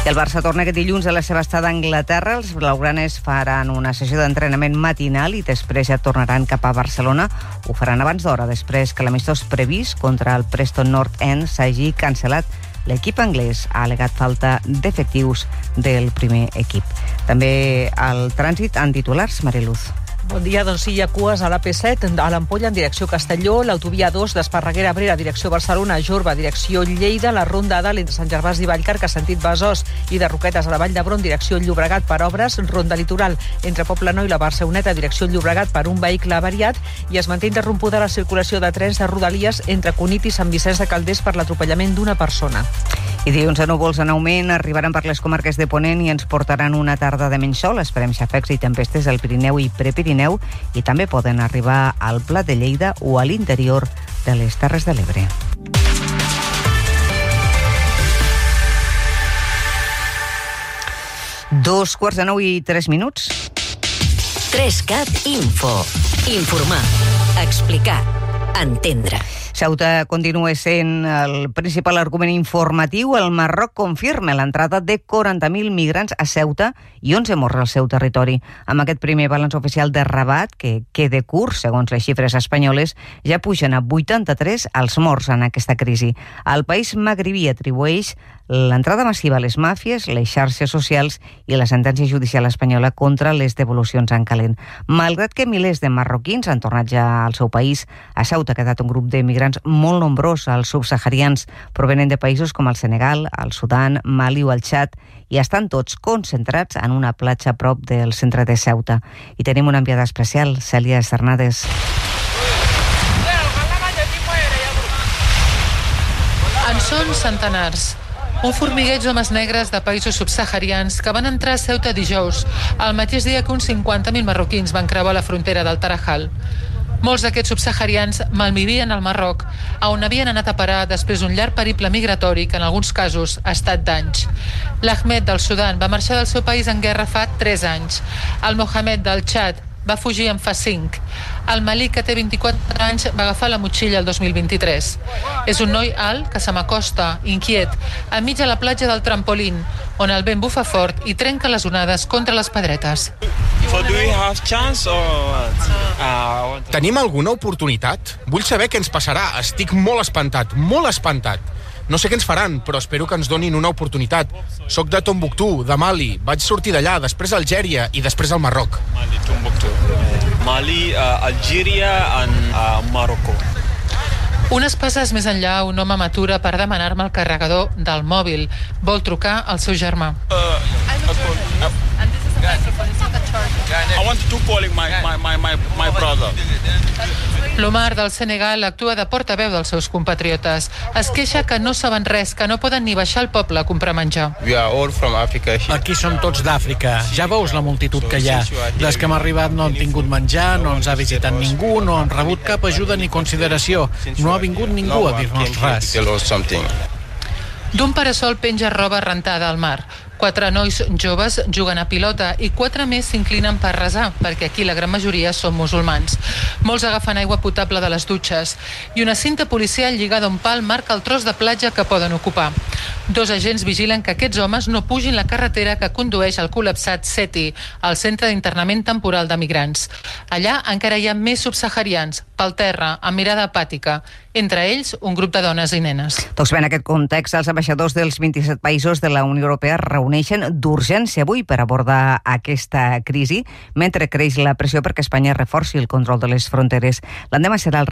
El Barça torna aquest dilluns a la seva estada a Anglaterra. Els blaugranes faran una sessió d'entrenament matinal i després ja tornaran cap a Barcelona. Ho faran abans d'hora, després que l'amistós previst contra el Preston North End s'hagi cancel·lat. L'equip anglès ha al·legat falta d'efectius del primer equip. També al trànsit en titulars, Mariluz. Bon dia, doncs sí, hi ha cues a l'AP7, a l'Ampolla en direcció Castelló, l'autovia 2 d'Esparreguera a Abrera, direcció Barcelona, Jorba, direcció Lleida, la ronda A entre Sant Gervasi i Vallcarca, sentit Besòs, i de Roquetes a la Vall d'Hebron, direcció Llobregat per obres, ronda litoral entre Poblenou i la Barceloneta, direcció Llobregat per un vehicle avariat, i es manté interrompuda la circulació de trens de Rodalies entre Cunit i Sant Vicenç de Calders per l'atropellament d'una persona. I dilluns a núvols en augment arribaran per les comarques de Ponent i ens portaran una tarda de menys sol. Esperem xafecs i tempestes al Pirineu i Prepirineu i també poden arribar al Pla de Lleida o a l'interior de les Terres de l'Ebre. Dos quarts de 9 i 3 minuts. 3CAT Info. Informar, explicar, entendre. Ceuta continua sent el principal argument informatiu. El Marroc confirma l'entrada de 40.000 migrants a Ceuta i 11 morts al seu territori. Amb aquest primer balanç oficial de Rabat, que queda curt, segons les xifres espanyoles, ja pugen a 83 els morts en aquesta crisi. El país magribí atribueix l'entrada massiva a les màfies, les xarxes socials i la sentència judicial espanyola contra les devolucions en calent. Malgrat que milers de marroquins han tornat ja al seu país, a Ceuta ha quedat un grup de migrants molt nombrós, els subsaharians, provenent de països com el Senegal, el Sudan, Mali o el Txad, i estan tots concentrats en una platja a prop del centre de Ceuta. I tenim una enviada especial, Cèlia Cernades. En són centenars. Un formigueig d'homes negres de països subsaharians que van entrar a Ceuta dijous, el mateix dia que uns 50.000 marroquins van creuar la frontera del Tarajal. Molts d'aquests subsaharians malvivien al Marroc, on havien anat a parar després d'un llarg periple migratori que en alguns casos ha estat d'anys. L'Ahmed del Sudan va marxar del seu país en guerra fa 3 anys. El Mohamed del Txad va fugir en fa 5. El Malik, que té 24 anys, va agafar la motxilla el 2023. És un noi alt que se m'acosta, inquiet, enmig de la platja del Trampolín, on el vent bufa fort i trenca les onades contra les pedretes. Tenim alguna oportunitat? Vull saber què ens passarà. Estic molt espantat, molt espantat. No sé què ens faran, però espero que ens donin una oportunitat. Soc de Tombouctou, de Mali. Vaig sortir d'allà, després a Algèria i després al Marroc. Mali, Algèria i Marroc. Unes passes més enllà, un home m'atura per demanar-me el carregador del mòbil. Vol trucar al seu germà. I want to call my brother. L'Omar del Senegal actua de portaveu dels seus compatriotes. Es queixa que no saben res, que no poden ni baixar al poble a comprar menjar. Aquí som tots d'Àfrica. Ja veus la multitud que hi ha. Des que hem arribat no hem tingut menjar, no ens ha visitat ningú, no hem rebut cap ajuda ni consideració. No ha vingut ningú a dir-nos res. D'un parasol penja roba rentada al mar. 4 nois joves juguen a pilota i 4 més s'inclinen per resar, perquè aquí la gran majoria són musulmans. Molts agafen aigua potable de les dutxes i una cinta policial lligada a un pal marca el tros de platja que poden ocupar. 2 agents vigilen que aquests homes no pugin la carretera que condueix al col·lapsat Seti, al centre d'internament temporal de migrants. Allà encara hi ha més subsaharians, pel terra, amb mirada apàtica. Entre ells, un grup de dones i nenes. Doncs bé, en aquest context, els ambaixadors dels 27 països de la Unió Europea reuneixen d'urgència avui per abordar aquesta crisi, mentre creix la pressió perquè Espanya reforci el control de les fronteres. L'endemà serà el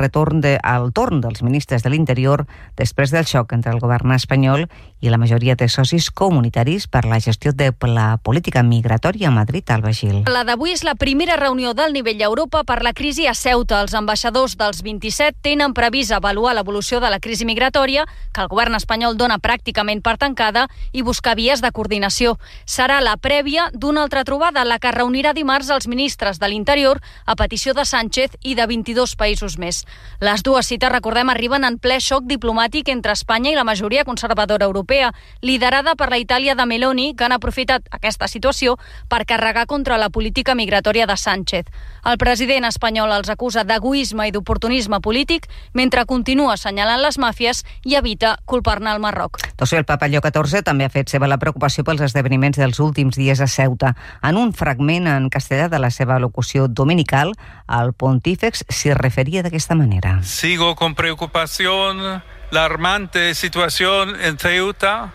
torn dels ministres de l'Interior després del xoc entre el govern espanyol i la majoria de socis comunitaris per la gestió de la política migratòria a Madrid. Alba Gil. La d'avui és la primera reunió del nivell Europa per la crisi a Ceuta. Els ambaixadors dels 27 tenen previst avaluar l'evolució de la crisi migratòria, que el govern espanyol dona pràcticament per tancada, i buscar vies de coordinació. Serà la prèvia d'una altra trobada, la que reunirà dimarts els ministres de l'Interior a petició de Sánchez i de 22 països més. Les dues cites, recordem, arriben en ple xoc diplomàtic entre Espanya i la majoria conservadora europea, liderada per la Itàlia de Meloni, que han aprofitat aquesta situació per carregar contra la política migratòria de Sánchez. El president espanyol els acusa d'egoisme i d'oportunisme polític, mentre continua assenyalant les màfies i evita culpar-ne el Marroc. Doncs el papa Lleó XIV també ha fet seva la preocupació pels esdeveniments dels últims dies a Ceuta. En un fragment en castellà de la seva locució dominical, el pontífex s'hi referia d'aquesta manera. Sigo con preocupación la alarmante situación en Ceuta,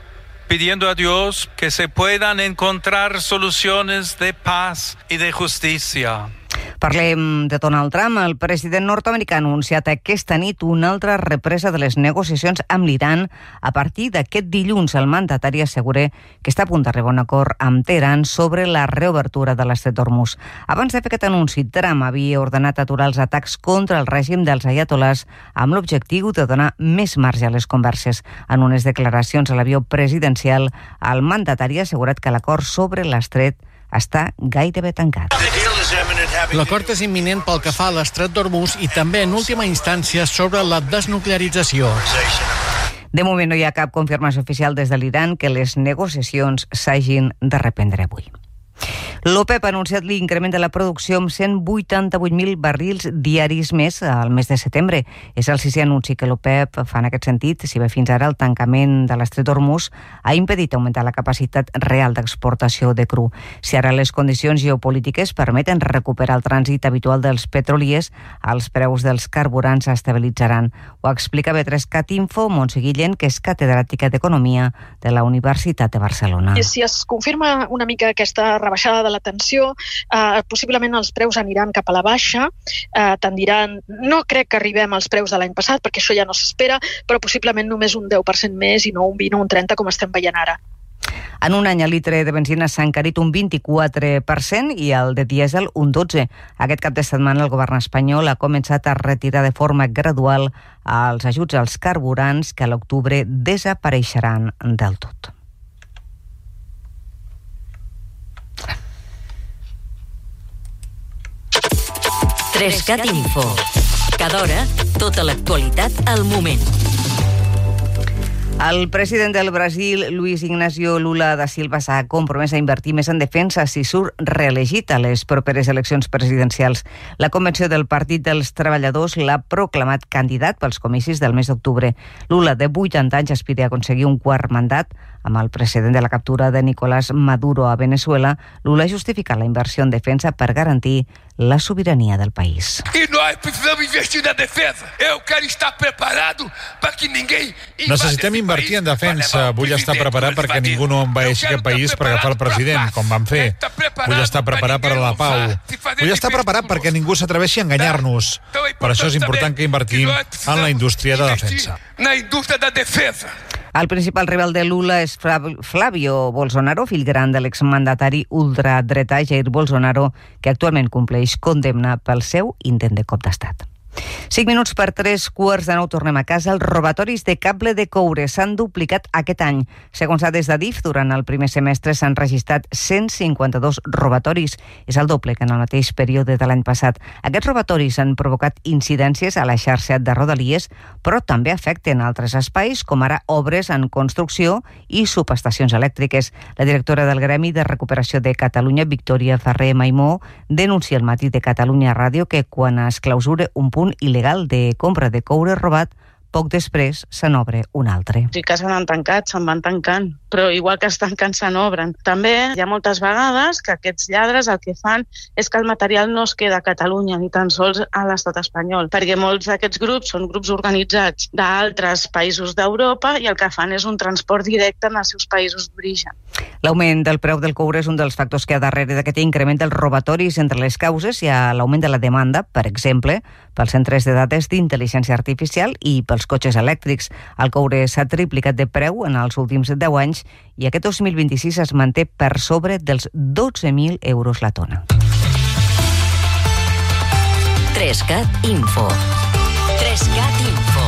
pidiendo a Dios que se puedan encontrar soluciones de paz y de justicia. Parlem de Donald Trump. El president nord-americà ha anunciat aquesta nit una altra represa de les negociacions amb l'Iran. A partir d'aquest dilluns, el mandatari assegura que està a punt d'arribar a un acord amb Teheran sobre la reobertura de l'estret d'Hormuz. Abans de fer aquest anunci, Trump havia ordenat aturar els atacs contra el règim dels ayatolars amb l'objectiu de donar més marge a les converses. En unes declaracions a l'avió presidencial, el mandatari ha assegurat que l'acord sobre l'estret està gairebé tancat. L'acord és imminent pel que fa a l'estret d'Hormuz i també, en última instància, sobre la desnuclearització. De moment no hi ha cap confirmació oficial des de l'Iran que les negociacions s'hagin de reprendre avui. L'OPEP ha anunciat l'increment de la producció amb 188.000 barrils diaris més al mes de setembre. És el sisè anunci que l'OPEP fa en aquest sentit, si bé fins ara el tancament de l'Estret d'Hormuz ha impedit augmentar la capacitat real d'exportació de cru. Si ara les condicions geopolítiques permeten recuperar el trànsit habitual dels petroliers, els preus dels carburants s'estabilitzaran. Ho explica B3CAT Info Montse Guillén, que és catedràtica d'Economia de la Universitat de Barcelona. Si es confirma una mica aquesta rebaixada de la tensió, possiblement els preus aniran cap a la baixa, tendiran, no crec que arribem als preus de l'any passat, perquè això ja no s'espera, però possiblement només un 10% més i no un 20 o un 30 com estem veient ara. En un any el litre de benzina s'ha encarit un 24% i el de dièsel un 12%. Aquest cap de setmana el govern espanyol ha començat a retirar de forma gradual els ajuts als carburants que a l'octubre desapareixeran del tot. Trescat Info. Cada hora, tota l'actualitat al moment. El president del Brasil, Luis Ignacio Lula da Silva, s'ha compromès a invertir més en defensa si surt reelegit a les properes eleccions presidencials. La convenció del Partit dels Treballadors l'ha proclamat candidat pels comicis del mes d'octubre. Lula, de 80 anys, aspira a aconseguir un quart mandat. Amb el precedent de la captura de Nicolás Maduro a Venezuela, Lula justifica la inversió en defensa per garantir la sobirania del país. E nós precisamos investir na defesa. Eu quero estar preparado para que ninguém... Necessitem invertir en defensa. Vull estar preparat perquè ningú no envaeixi aquest país per agafar el president, com van fer. Vull estar preparat per a la pau. Vull estar preparat perquè ningú s'atreveixi a enganyar-nos. Per això és important que invertim en la indústria de defensa. Na indústria da defensa. El principal rival de Lula és Flavio Bolsonaro, fill gran de l'exmandatari ultradretà Jair Bolsonaro, que actualment compleix condemna pel seu intent de cop d'estat. 5 minuts per 3:15 tornem a casa. Els robatoris de cable de coure s'han duplicat aquest any. Segons dades d'Adif, durant el primer semestre s'han registrat 152 robatoris. És el doble que en el mateix període de l'any passat. Aquests robatoris han provocat incidències a la xarxa de Rodalies, però també afecten altres espais, com ara obres en construcció i subestacions elèctriques. La directora del Gremi de Recuperació de Catalunya, Victòria Ferrer Maimó, denuncia al Matí de Catalunya Ràdio que quan es clausura un punt il·legal de compra de coure robat, poc després se n'obre un altre. Sí que s'han tancat, se'n van tancant, però igual que es tanquen, se n'obren. També hi ha moltes vegades que aquests lladres el que fan és que el material no es queda a Catalunya, ni tan sols a l'estat espanyol, perquè molts d'aquests grups són grups organitzats d'altres països d'Europa i el que fan és un transport directe en els seus països d'origen. L'augment del preu del coure és un dels factors que ha darrere d'aquest increment dels robatoris. Entre les causes hi ha l'augment de la demanda, per exemple, pels centres de dades d'intel·ligència artificial i pels cotxes elèctrics. El coure s'ha triplicat de preu en els últims 10 anys i aquest 2026 es manté per sobre dels 12.000 euros la tona. Trescat Info. Trescat Info.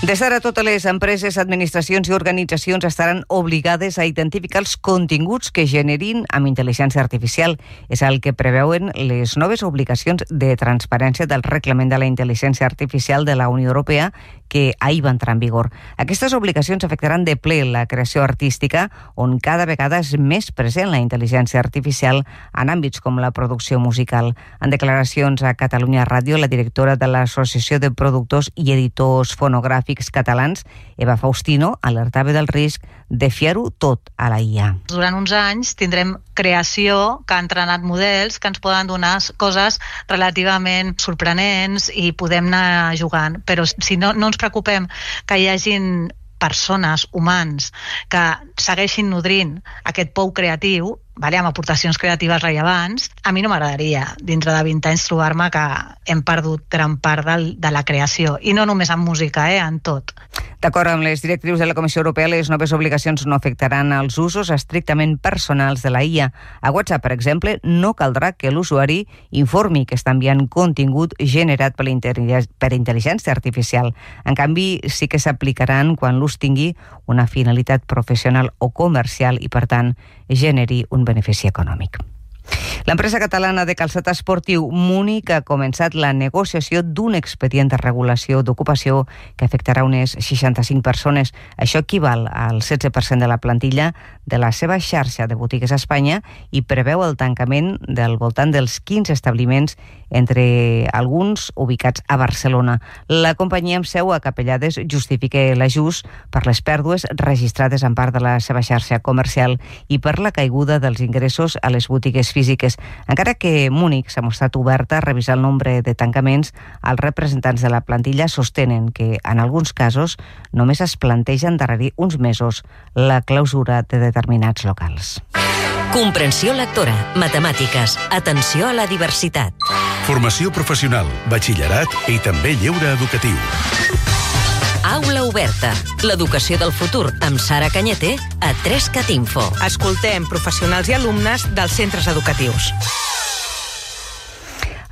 Des d'ara, totes les empreses, administracions i organitzacions estaran obligades a identificar els continguts que generin amb intel·ligència artificial. És el que preveuen les noves obligacions de transparència del Reglament de la Intel·ligència Artificial de la Unió Europea, que ahir va entrar en vigor. Aquestes obligacions afectaran de ple la creació artística, on cada vegada és més present la intel·ligència artificial en àmbits com la producció musical. En declaracions a Catalunya Ràdio, la directora de l'Associació de Productors i Editors Fonogràfics Catalans, Eva Faustino, alertava del risc de fiar-ho tot a la IA. Durant uns anys tindrem creació que ha entrenat models que ens poden donar coses relativament sorprenents i podem anar jugant, però si no ens preocupem que hi hagin persones, humans, que segueixin nodrint aquest pou creatiu, amb aportacions creatives rellevants, a mi no m'agradaria, dintre de 20 anys, trobar-me que hem perdut gran part de la creació. I no només en música, en tot. D'acord amb les directrius de la Comissió Europea, les noves obligacions no afectaran els usos estrictament personals de la IA. A WhatsApp, per exemple, no caldrà que l'usuari informi que està enviant contingut generat per intel·ligència artificial. En canvi, sí que s'aplicaran quan l'ús tingui una finalitat professional o comercial i, per tant, generi un benefici econòmic. L'empresa catalana de calçat esportiu Múnich ha començat la negociació d'un expedient de regulació d'ocupació que afectarà unes 65 persones. Això equival al 16% de la plantilla de la seva xarxa de botigues a Espanya i preveu el tancament del voltant dels 15 establiments, entre alguns ubicats a Barcelona. La companyia amb seu a Capellades justifica l'ajust per les pèrdues registrades en part de la seva xarxa comercial i per la caiguda dels ingressos a les botigues físiques. Encara que Múnich s'ha mostrat oberta a revisar el nombre de tancaments, els representants de la plantilla sostenen que en alguns casos només es planteja endarrerir uns mesos la clausura de determinats locals. Comprensió lectora, matemàtiques, atenció a la diversitat. Formació professional, batxillerat i també lleure educatiu. Aula oberta, l'educació del futur amb Sara Cañete a 3cat Info. Escoltem professionals i alumnes dels centres educatius.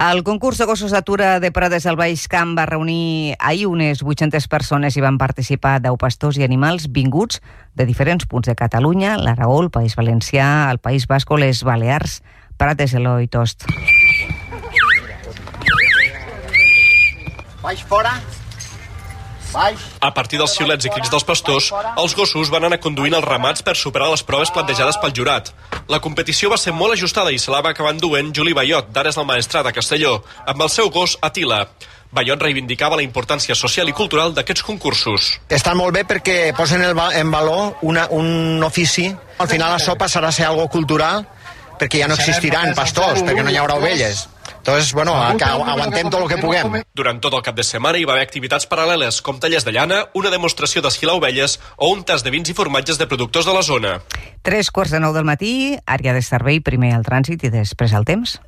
El concurs de gossos d'atura de Prades al Baix Camp va reunir ahir unes 800 persones i van participar 10 pastors i animals vinguts de diferents punts de Catalunya, l'Aragó, el País Valencià, el País Basc o les Balears. Prades, Eloi Tost. Baix fora. A partir dels xiulets i crits dels pastors, els gossos van anar conduint els ramats per superar les proves plantejades pel jurat. La competició va ser molt ajustada i se la va acabar enduent Juli Bayot, d'Ares del Maestrat, a Castelló, amb el seu gos Atila. Bayot reivindicava la importància social i cultural d'aquests concursos. Està molt bé perquè posen en valor un ofici. Al final això passarà a ser algo cultural perquè ja no existiran pastors, perquè no hi haurà ovelles. Entonces, bueno, aguantem tot el que puguem. Durant tot el cap de setmana hi va haver activitats paral·leles, com tallers de llana, una demostració d'esquilar ovelles o un tas de vins i formatges de productors de la zona. 3:45 del matí, àrea de servei, primer el trànsit i després el temps.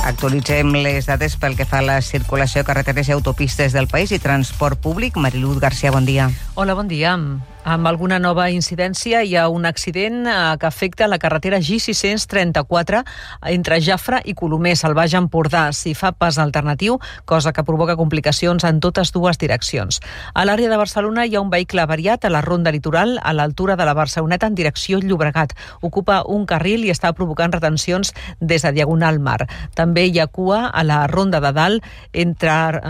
Actualitzem les dades pel que fa a la circulació de carreteres i autopistes del país i transport públic. Mariluz García, bon dia. Hola, bon dia. Amb alguna nova incidència hi ha un accident que afecta la carretera G634 entre Jafre i Colomers, al Baix Empordà. S'hi fa pas alternatiu, cosa que provoca complicacions en totes dues direccions. A l'àrea de Barcelona hi ha un vehicle avariat a la ronda litoral a l'altura de la Barceloneta en direcció Llobregat. Ocupa un carril i està provocant retencions des de Diagonal Mar. També hi ha cua a la ronda de dalt entre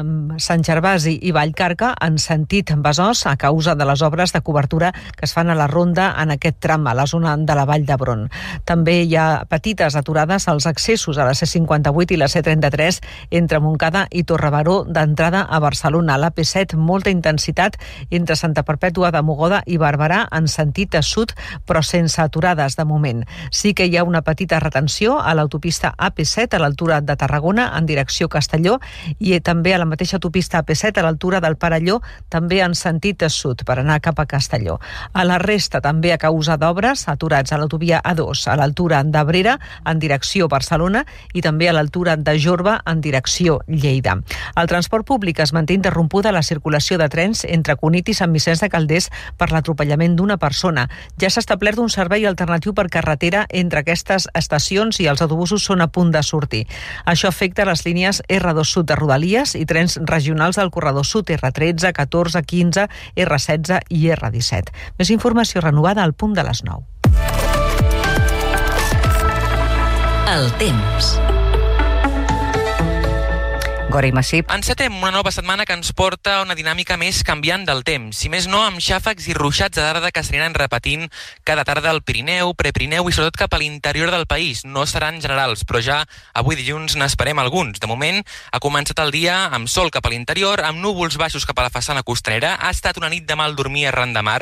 Sant Gervasi i Vallcarca en sentit Besòs a causa de les obres de cobertura que es fan a la ronda en aquest tram, a la zona de la Vall d'Hebron. També hi ha petites aturades als accessos a la C58 i la C33 entre Montcada i Torrebaró d'entrada a Barcelona. A l'AP7, molta intensitat entre Santa Perpètua de Mogoda i Barberà en sentit sud, però sense aturades de moment. Sí que hi ha una petita retenció a l'autopista AP7 a l'altura de Tarragona en direcció Castelló i també a la mateixa autopista AP7 a l'altura del Perelló, també en sentit sud, per anar cap a Castelló. A la resta, també a causa d'obres, aturats a l'autovia A2 a l'altura d'Abrera en direcció Barcelona i també a l'altura de Jorba en direcció Lleida. El transport públic es manté interrompuda la circulació de trens entre Cunit i Sant Vicenç de Calders per l'atropellament d'una persona. Ja s'ha establert un servei alternatiu per carretera entre aquestes estacions i els autobusos són a punt de sortir. Això afecta les línies R2 Sud de Rodalies i trens regionals del corredor sud R13, 14, 15, R16 i R17. Més informació renovada al punt de les 9. El temps. Gori Massip. Encetem una nova setmana que ens porta una dinàmica més canviant del temps. Si més no, amb xàfecs i ruixats de tarda que s'aniran repetint cada tarda al Pirineu, Prepirineu i sobretot cap a l'interior del país. No seran generals, però ja avui dilluns n'esperem alguns. De moment, ha començat el dia amb sol cap a l'interior, amb núvols baixos cap a la façana costanera. Ha estat una nit de mal dormir arran de mar,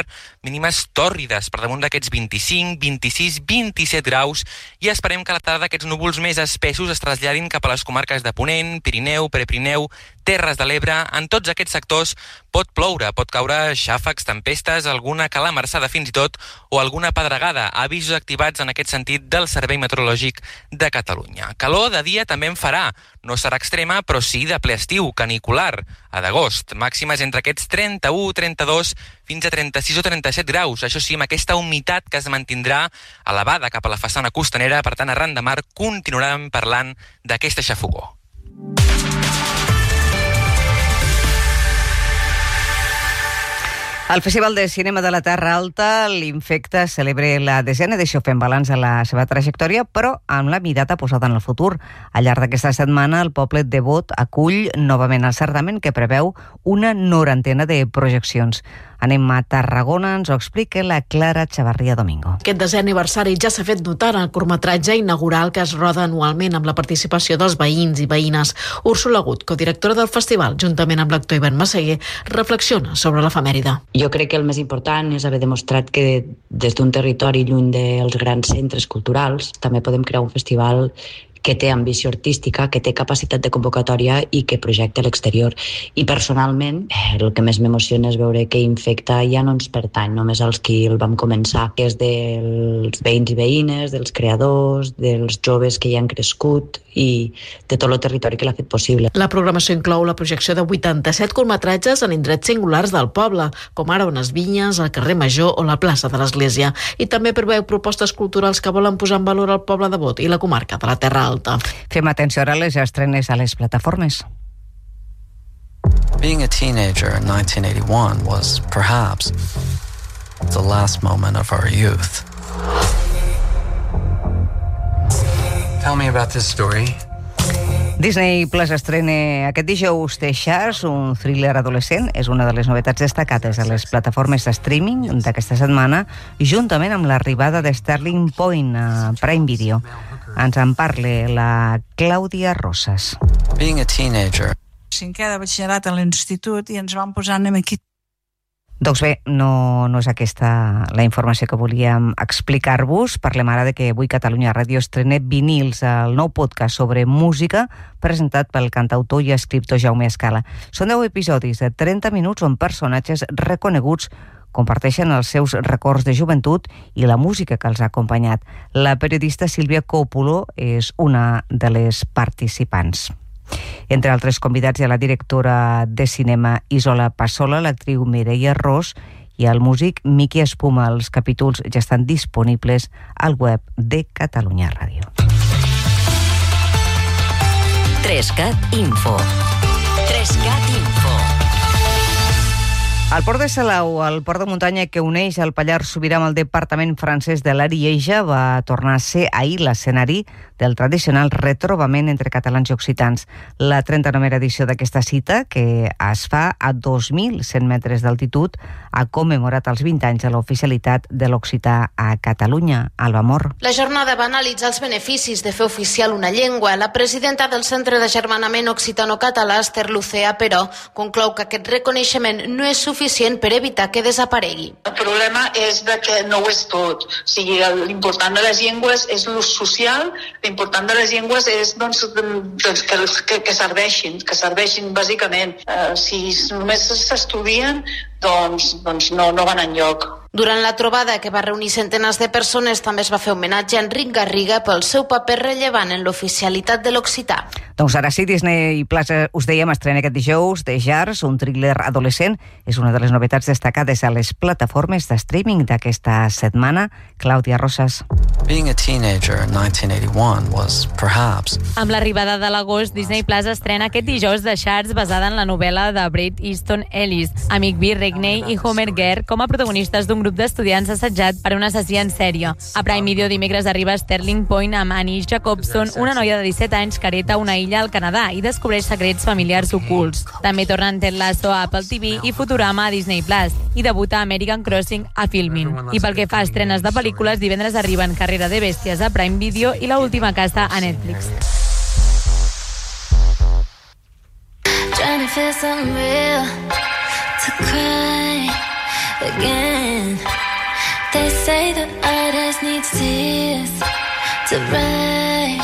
mínimes tòrrides per damunt d'aquests 25, 26, 27 graus i esperem que a la tarda aquests núvols més espessos es traslladin cap a les comarques de Ponent, Pirineu, Prepirineu, Terres de l'Ebre. En tots aquests sectors pot ploure, pot caure xàfecs, tempestes, alguna calamarsada fins i tot o alguna pedregada. Avisos activats en aquest sentit del Servei Meteorològic de Catalunya. Calor de dia també en farà. No serà extrema, però sí de ple estiu, canicular, a d'agost. Màximes entre aquests 31, 32, fins a 36 o 37 graus. Això sí, amb aquesta humitat que es mantindrà elevada cap a la façana costanera, per tant, arran de mar continuarem parlant d'aquesta xafogor. El Festival de Cinema de la Terra Alta, l'Infecta, celebra la desena edició fent balanç a la seva trajectòria, però amb la mirada posada en el futur. Al llarg d'aquesta setmana, el poble de Bot acull novament el certamen que preveu una 90 de projeccions. Anem a Tarragona, ens ho explica la Clara Chavarria Domingo. Aquest 10è aniversari ja s'ha fet notar en el curtmetratge inaugural que es roda anualment amb la participació dels veïns i veïnes. Úrsula Gut, codirectora del festival, juntament amb l'actor Ivan Massaguer, reflexiona sobre l'efemèride. Jo crec que el més important és haver demostrat que des d'un territori lluny dels grans centres culturals també podem crear un festival que té ambició artística, que té capacitat de convocatòria i que projecta a l'exterior. I personalment, el que més m'emociona és veure que Infecta ja no ens pertany només als qui el vam començar, que és dels veïns i veïnes, dels creadors, dels joves que hi han crescut i de tot el territori que l'ha fet possible. La programació inclou la projecció de 87 curtmetratges en indrets singulars del poble, com ara unes vinyes, el carrer Major o la plaça de l'Església. I també preveu propostes culturals que volen posar en valor el poble de Bot i la comarca de la Terra Alta. Fem atenció ara a les estrenes a les plataformes. Being a teenager in 1981 was perhaps the last moment of our youth. Tell me about this story. Disney Plus estrena aquest dijous The Sharks, un thriller adolescent. És una de les novetats destacades a les plataformes de streaming d'aquesta setmana, juntament amb l'arribada de Sterling Point a Prime Video. Ens en parla la Clàudia Rosas. Being a teenager. 5è de batxillerat a l'institut i ens van posar aquí. Doncs bé, no és aquesta la informació que volíem explicar-vos. Parlem ara de que avui Catalunya Ràdio estrena Vinils, el nou podcast sobre música presentat pel cantautor i escriptor Jaume Escala. Són 10 episodis de 30 minuts on personatges reconeguts comparteixen els seus records de joventut i la música que els ha acompanyat. La periodista Sílvia Còpolo és una de les participants. Entre altres convidats hi ha la directora de cinema Isola Passola, l'actriu Mireia Ros i el músic Miqui Espuma. Els capítols ja estan disponibles al web de Catalunya Ràdio. 3CAT Info. 3CAT Info. El port de Salau, el port de muntanya que uneix el Pallars Sobirà amb el departament francès de l'Arieja, va tornar a ser ahir l'escenari del tradicional retrobament entre catalans i occitans. La 39a edició d'aquesta cita, que es fa a 2.100 metres d'altitud, ha commemorat els 20 anys de l'oficialitat de l'occità a Catalunya. Alba Mor. La jornada va analitzar els beneficis de fer oficial una llengua. La presidenta del Centre d'Agermanament Occitano-Català, Esther Lucea, però, conclou que aquest reconeixement no és suficient per evitar que desaparegui. El problema és que no ho és tot. O sigui, l'important de les llengües és l'ús social, l'important de les llengües és que serveixin bàsicament. Si només s'estudien, doncs no van enlloc. Durant la trobada, que va reunir centenars de persones, també es va fer homenatge a Enric Garriga pel seu paper rellevant en l'oficialitat de l'occità. Doncs ara sí, Disney Plus, us dèiem, estrena aquest dijous The Sharks, un thriller adolescent. És una de les novetats destacades a les plataformes de streaming d'aquesta setmana. Clàudia Rosas. Being a teenager in 1981 was perhaps... Amb l'arribada de l'agost, Disney Plus estrena aquest dijous The Sharks, basada en la novel·la de Bret Easton Ellis. Amic B. Regney i Homer Gare com a protagonistes d'un grup d'estudiants assetjat per un assassí en sèrie. A Prime Video dimecres arriba Sterling Point amb Annie Jacobson, una noia de 17 anys que hereta una illa al Canadà i descobreix secrets familiars ocults. També tornen Ted Lasso a Apple TV i Futurama a Disney Plus i debuta American Crossing a Filmin. I pel que fa a estrenes de pel·lícules, divendres arriben Carrera de bèsties a Prime Video i La última casa a Netflix. Trying to feel something real to cry again. They say that artist needs tears to write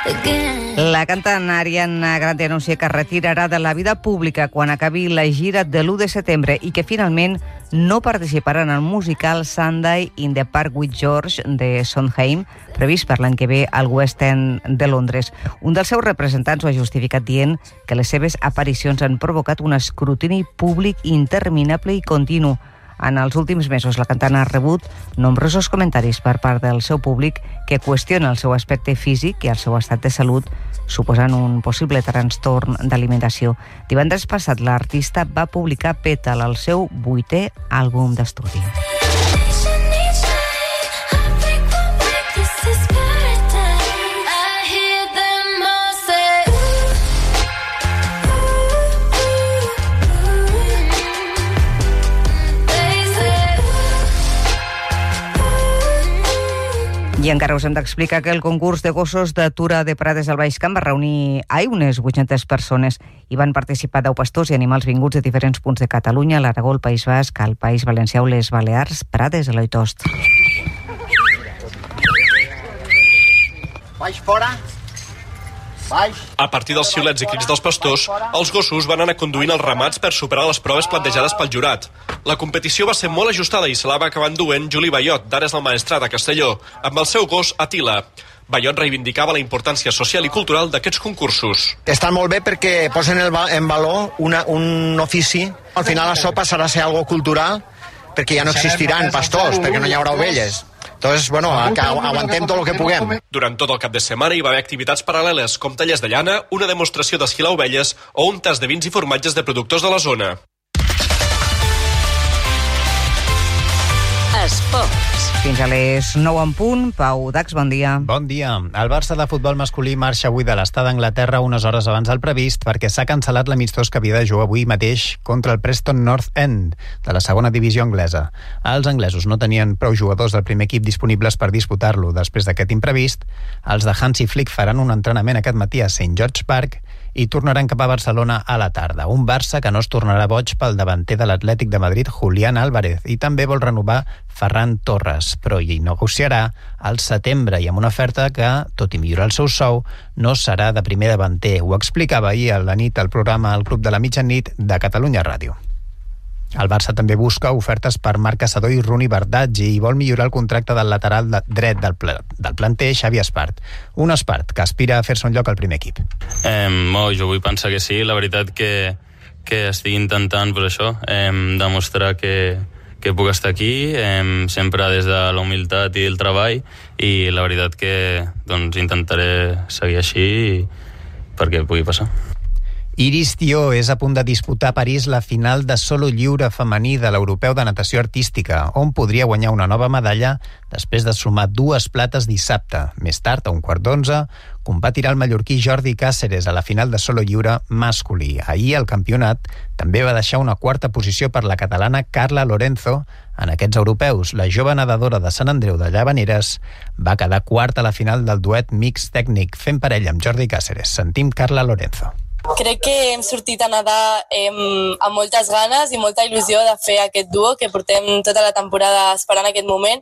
again. La cantant Ariana Grande anuncia que retirarà de la vida pública quan acabi la gira de l'1 de setembre i que finalment no participarà en el musical Sunday in the Park with George de Sondheim, previst per l'any que ve al West End de Londres. Un dels seus representants ho ha justificat dient que les seves aparicions han provocat un escrutini públic interminable i continu. En els últims mesos, la cantant ha rebut nombrosos comentaris per part del seu públic que qüestiona el seu aspecte físic i el seu estat de salut, suposant un possible trastorn d'alimentació. Divendres passat, l'artista va publicar Petal, el seu 8è àlbum d'estudi. I encara us hem d'explicar que el concurs de gossos d'Atura de Prades al Baix Camp va reunir unes 800 persones i van participar 10 pastors i animals vinguts de diferents punts de Catalunya, l'Aragó, el País Basc, el País Valencià o les Balears, Prades, Eloi Tost. Baix fora. Baix. A partir dels xiulets i crits dels pastors, els gossos van anar conduint els ramats per superar les proves plantejades pel jurat. La competició va ser molt ajustada i se la va acabar enduent Juli Bayot, d'Ares del Maestrat a Castelló, amb el seu gos Atila. Bayot reivindicava la importància social i cultural d'aquests concursos. Estan molt bé perquè posen en valor un ofici. Al final això passarà a ser algo cultural perquè ja no existiran pastors, perquè no hi haurà ovelles. Entonces, bueno, aguantem tot el que puguem. Durant tot el cap de setmana hi va haver activitats paral·leles, com tallers de llana, una demostració d'esquilar ovelles o un tast de vins i formatges de productors de la zona. Esports. Fins a les 9 en punt. Pau Dax, bon dia. Bon dia. El Barça de futbol masculí marxa avui de l'estat d'Anglaterra unes hores abans del previst perquè s'ha cancel·lat l'amistós que havia de jugar avui mateix contra el Preston North End de la segona divisió anglesa. Els anglesos no tenien prou jugadors del primer equip disponibles per disputar-lo. Després d'aquest imprevist, els de Hansi Flick faran un entrenament aquest matí a St. George Park i tornaran cap a Barcelona a la tarda. Un Barça que no es tornarà boig pel davanter de l'Atlètic de Madrid, Julián Álvarez, i també vol renovar Ferran Torres, però hi negociarà al setembre i amb una oferta que, tot i millorar el seu sou, no serà de primer davanter. Ho explicava ahir a la nit al programa El Club de la Mitjanit de Catalunya Ràdio. El Barça també busca ofertes per Marc Caçador i Runi Bardaggi i vol millorar el contracte del lateral dret del planter, Xavi Espart. Un Espart que aspira a fer-se un lloc al primer equip. Jo vull pensar que sí. La veritat que estic intentant això, demostrar que puc estar aquí, sempre des de la humilitat i el treball, i la veritat que intentaré seguir així perquè pugui passar. Iris Tió és a punt de disputar a París la final de solo lliure femení de l'Europeu de Natació Artística, on podria guanyar una nova medalla després de sumar 2 plates dissabte. Més tard, a 11:15, competirà el mallorquí Jordi Cáceres a la final de solo lliure masculí. Ahir el campionat també va deixar una 4a posició per la catalana Carla Lorenzo. En aquests europeus, la jove nedadora de Sant Andreu de Llavaneres va quedar quarta a la final del duet mix tècnic fent parella amb Jordi Cáceres. Sentim Carla Lorenzo. Crec que hem sortit a nedar amb moltes ganes i molta il·lusió de fer aquest duo, que portem tota la temporada esperant aquest moment,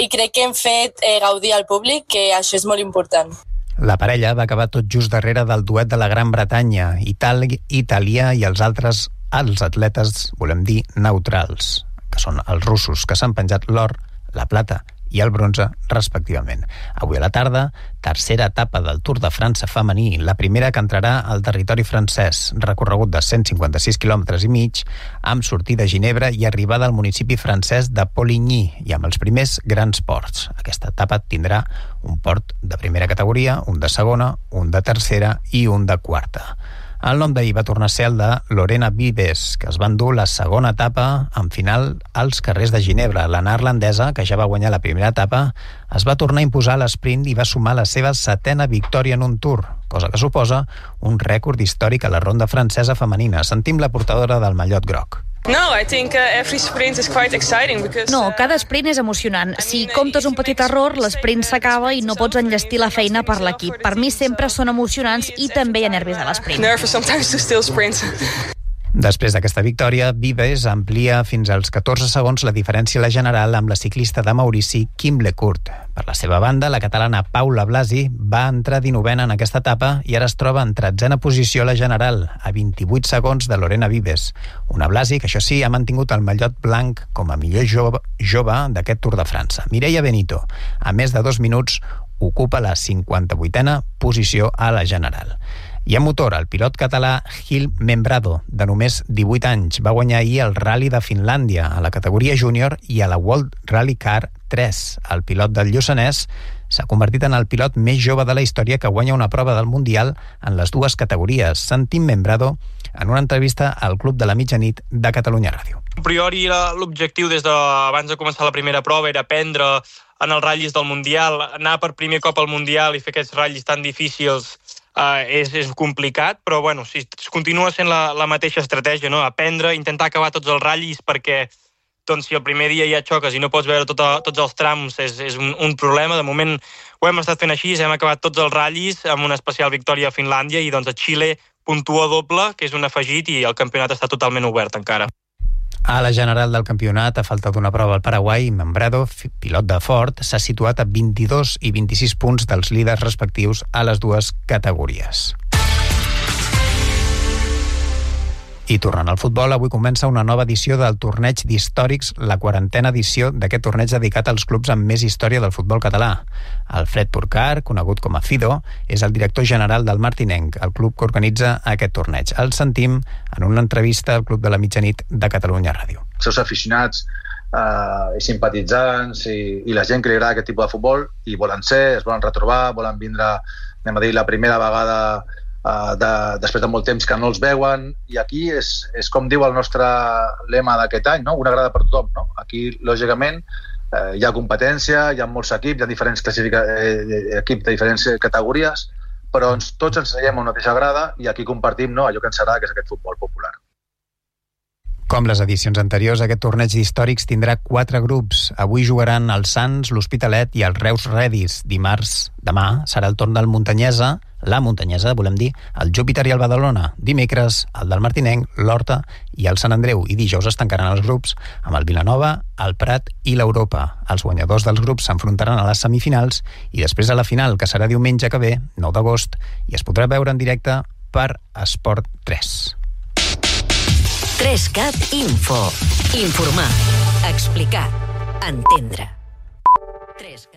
i crec que hem fet gaudir al públic, que això és molt important. La parella va acabar tot just darrere del duet de la Gran Bretanya, Itàlia i els atletes, volem dir, neutrals, que són els russos, que s'han penjat l'or, la plata i el bronze, respectivament. Avui a la tarda, tercera etapa del Tour de França femení, la primera que entrarà al territori francès, recorregut de 156 quilòmetres i mig, amb sortida a Ginebra i arribada al municipi francès de Poligny, i amb els primers grans ports. Aquesta etapa tindrà un port de primera categoria, un de segona, un de tercera i un de quarta. El nom d'ahir va tornar a ser el de Lorena Vives, que es va endur la segona etapa en final als carrers de Ginebra. La neerlandesa, que ja va guanyar la primera etapa, es va tornar a imposar a l'esprint i va sumar la seva 7a victòria en un Tour, cosa que suposa un rècord històric a la ronda francesa femenina. Sentim la portadora del mallot groc. No, cada sprint és emocionant. Si comptes un petit error, l'esprint s'acaba i no pots enllestir la feina per l'equip. Per mi sempre són emocionants i també hi ha nervis a l'esprint. Després d'aquesta victòria, Vives amplia fins als 14 segons la diferència a la general amb la ciclista de Maurici, Kim Lecourt. Per la seva banda, la catalana Paula Blasi va entrar 19a en aquesta etapa i ara es troba en 13a posició a la general, a 28 segons de Lorena Vives. Una Blasi que, això sí, ha mantingut el mallot blanc com a millor jove d'aquest Tour de França. Mireia Benito, a més de 2 minuts, ocupa la 58a posició a la general. I a motor, el pilot català Gil Membrado, de només 18 anys, va guanyar ahir el Rally de Finlàndia a la categoria júnior i a la World Rally Car 3. El pilot del Lluçanès s'ha convertit en el pilot més jove de la història que guanya una prova del Mundial en les dues categories. Sentim Membrado en una entrevista al Club de la Mitjanit de Catalunya Ràdio. A priori l'objectiu des d'abans de començar la primera prova era aprendre en els ratllis del Mundial, anar per primer cop al Mundial i fer aquests ratllis tan difícils és complicat, però si continua sent la mateixa estratègia, no? Aprendre, intentar acabar tots els ratllis perquè doncs si el primer dia ja xoques i no pots veure tots els trams és un problema. De moment ho hem estat fent així, hem acabat tots els ratllis amb una especial victòria a Finlàndia i doncs a Xile puntua doble, que és un afegit, i el campionat està totalment obert encara. A la general del campionat, a falta d'una prova al Paraguai, Membrado, pilot de Ford, s'ha situat a 22 i 26 punts dels líders respectius a les dues categories. I tornant al futbol, avui comença una nova edició del torneig d'històrics, la 40a edició d'aquest torneig dedicat als clubs amb més història del futbol català. Alfred Porcar, conegut com a Fido, és el director general del Martinenc, el club que organitza aquest torneig. El sentim en una entrevista al Club de la Mitjanit de Catalunya Ràdio. Els seus aficionats i simpatitzants i la gent que li agrada aquest tipus de futbol i volen ser, es volen retrobar, volen vindre, anem a dir, la primera vegada després de molt temps que no els veuen, i aquí és com diu el nostre lema d'aquest any, no? Una grada per tothom, no? Aquí, lògicament, hi ha competència, hi ha molts equips, hi ha diferents equips de diferents categories, però tots ens seiem a una mateixa grada i aquí compartim, no, allò que ens agrada, que és aquest futbol popular. Com les edicions anteriors, aquest torneig d'històrics tindrà 4 grups. Avui jugaran el Sants, l'Hospitalet i el Reus Redis. Demà serà el torn del Muntanyesa, la Muntanyesa, volem dir, el Júpiter i el Badalona. Dimecres, el del Martinenc, l'Horta i el Sant Andreu. I dijous es tancaran els grups amb el Vilanova, el Prat i l'Europa. Els guanyadors dels grups s'enfrontaran a les semifinals i després a la final, que serà diumenge que ve, 9 d'agost, i es podrà veure en directe per Esport 3. 3CAT Info. Informar, explicar, entendre. 3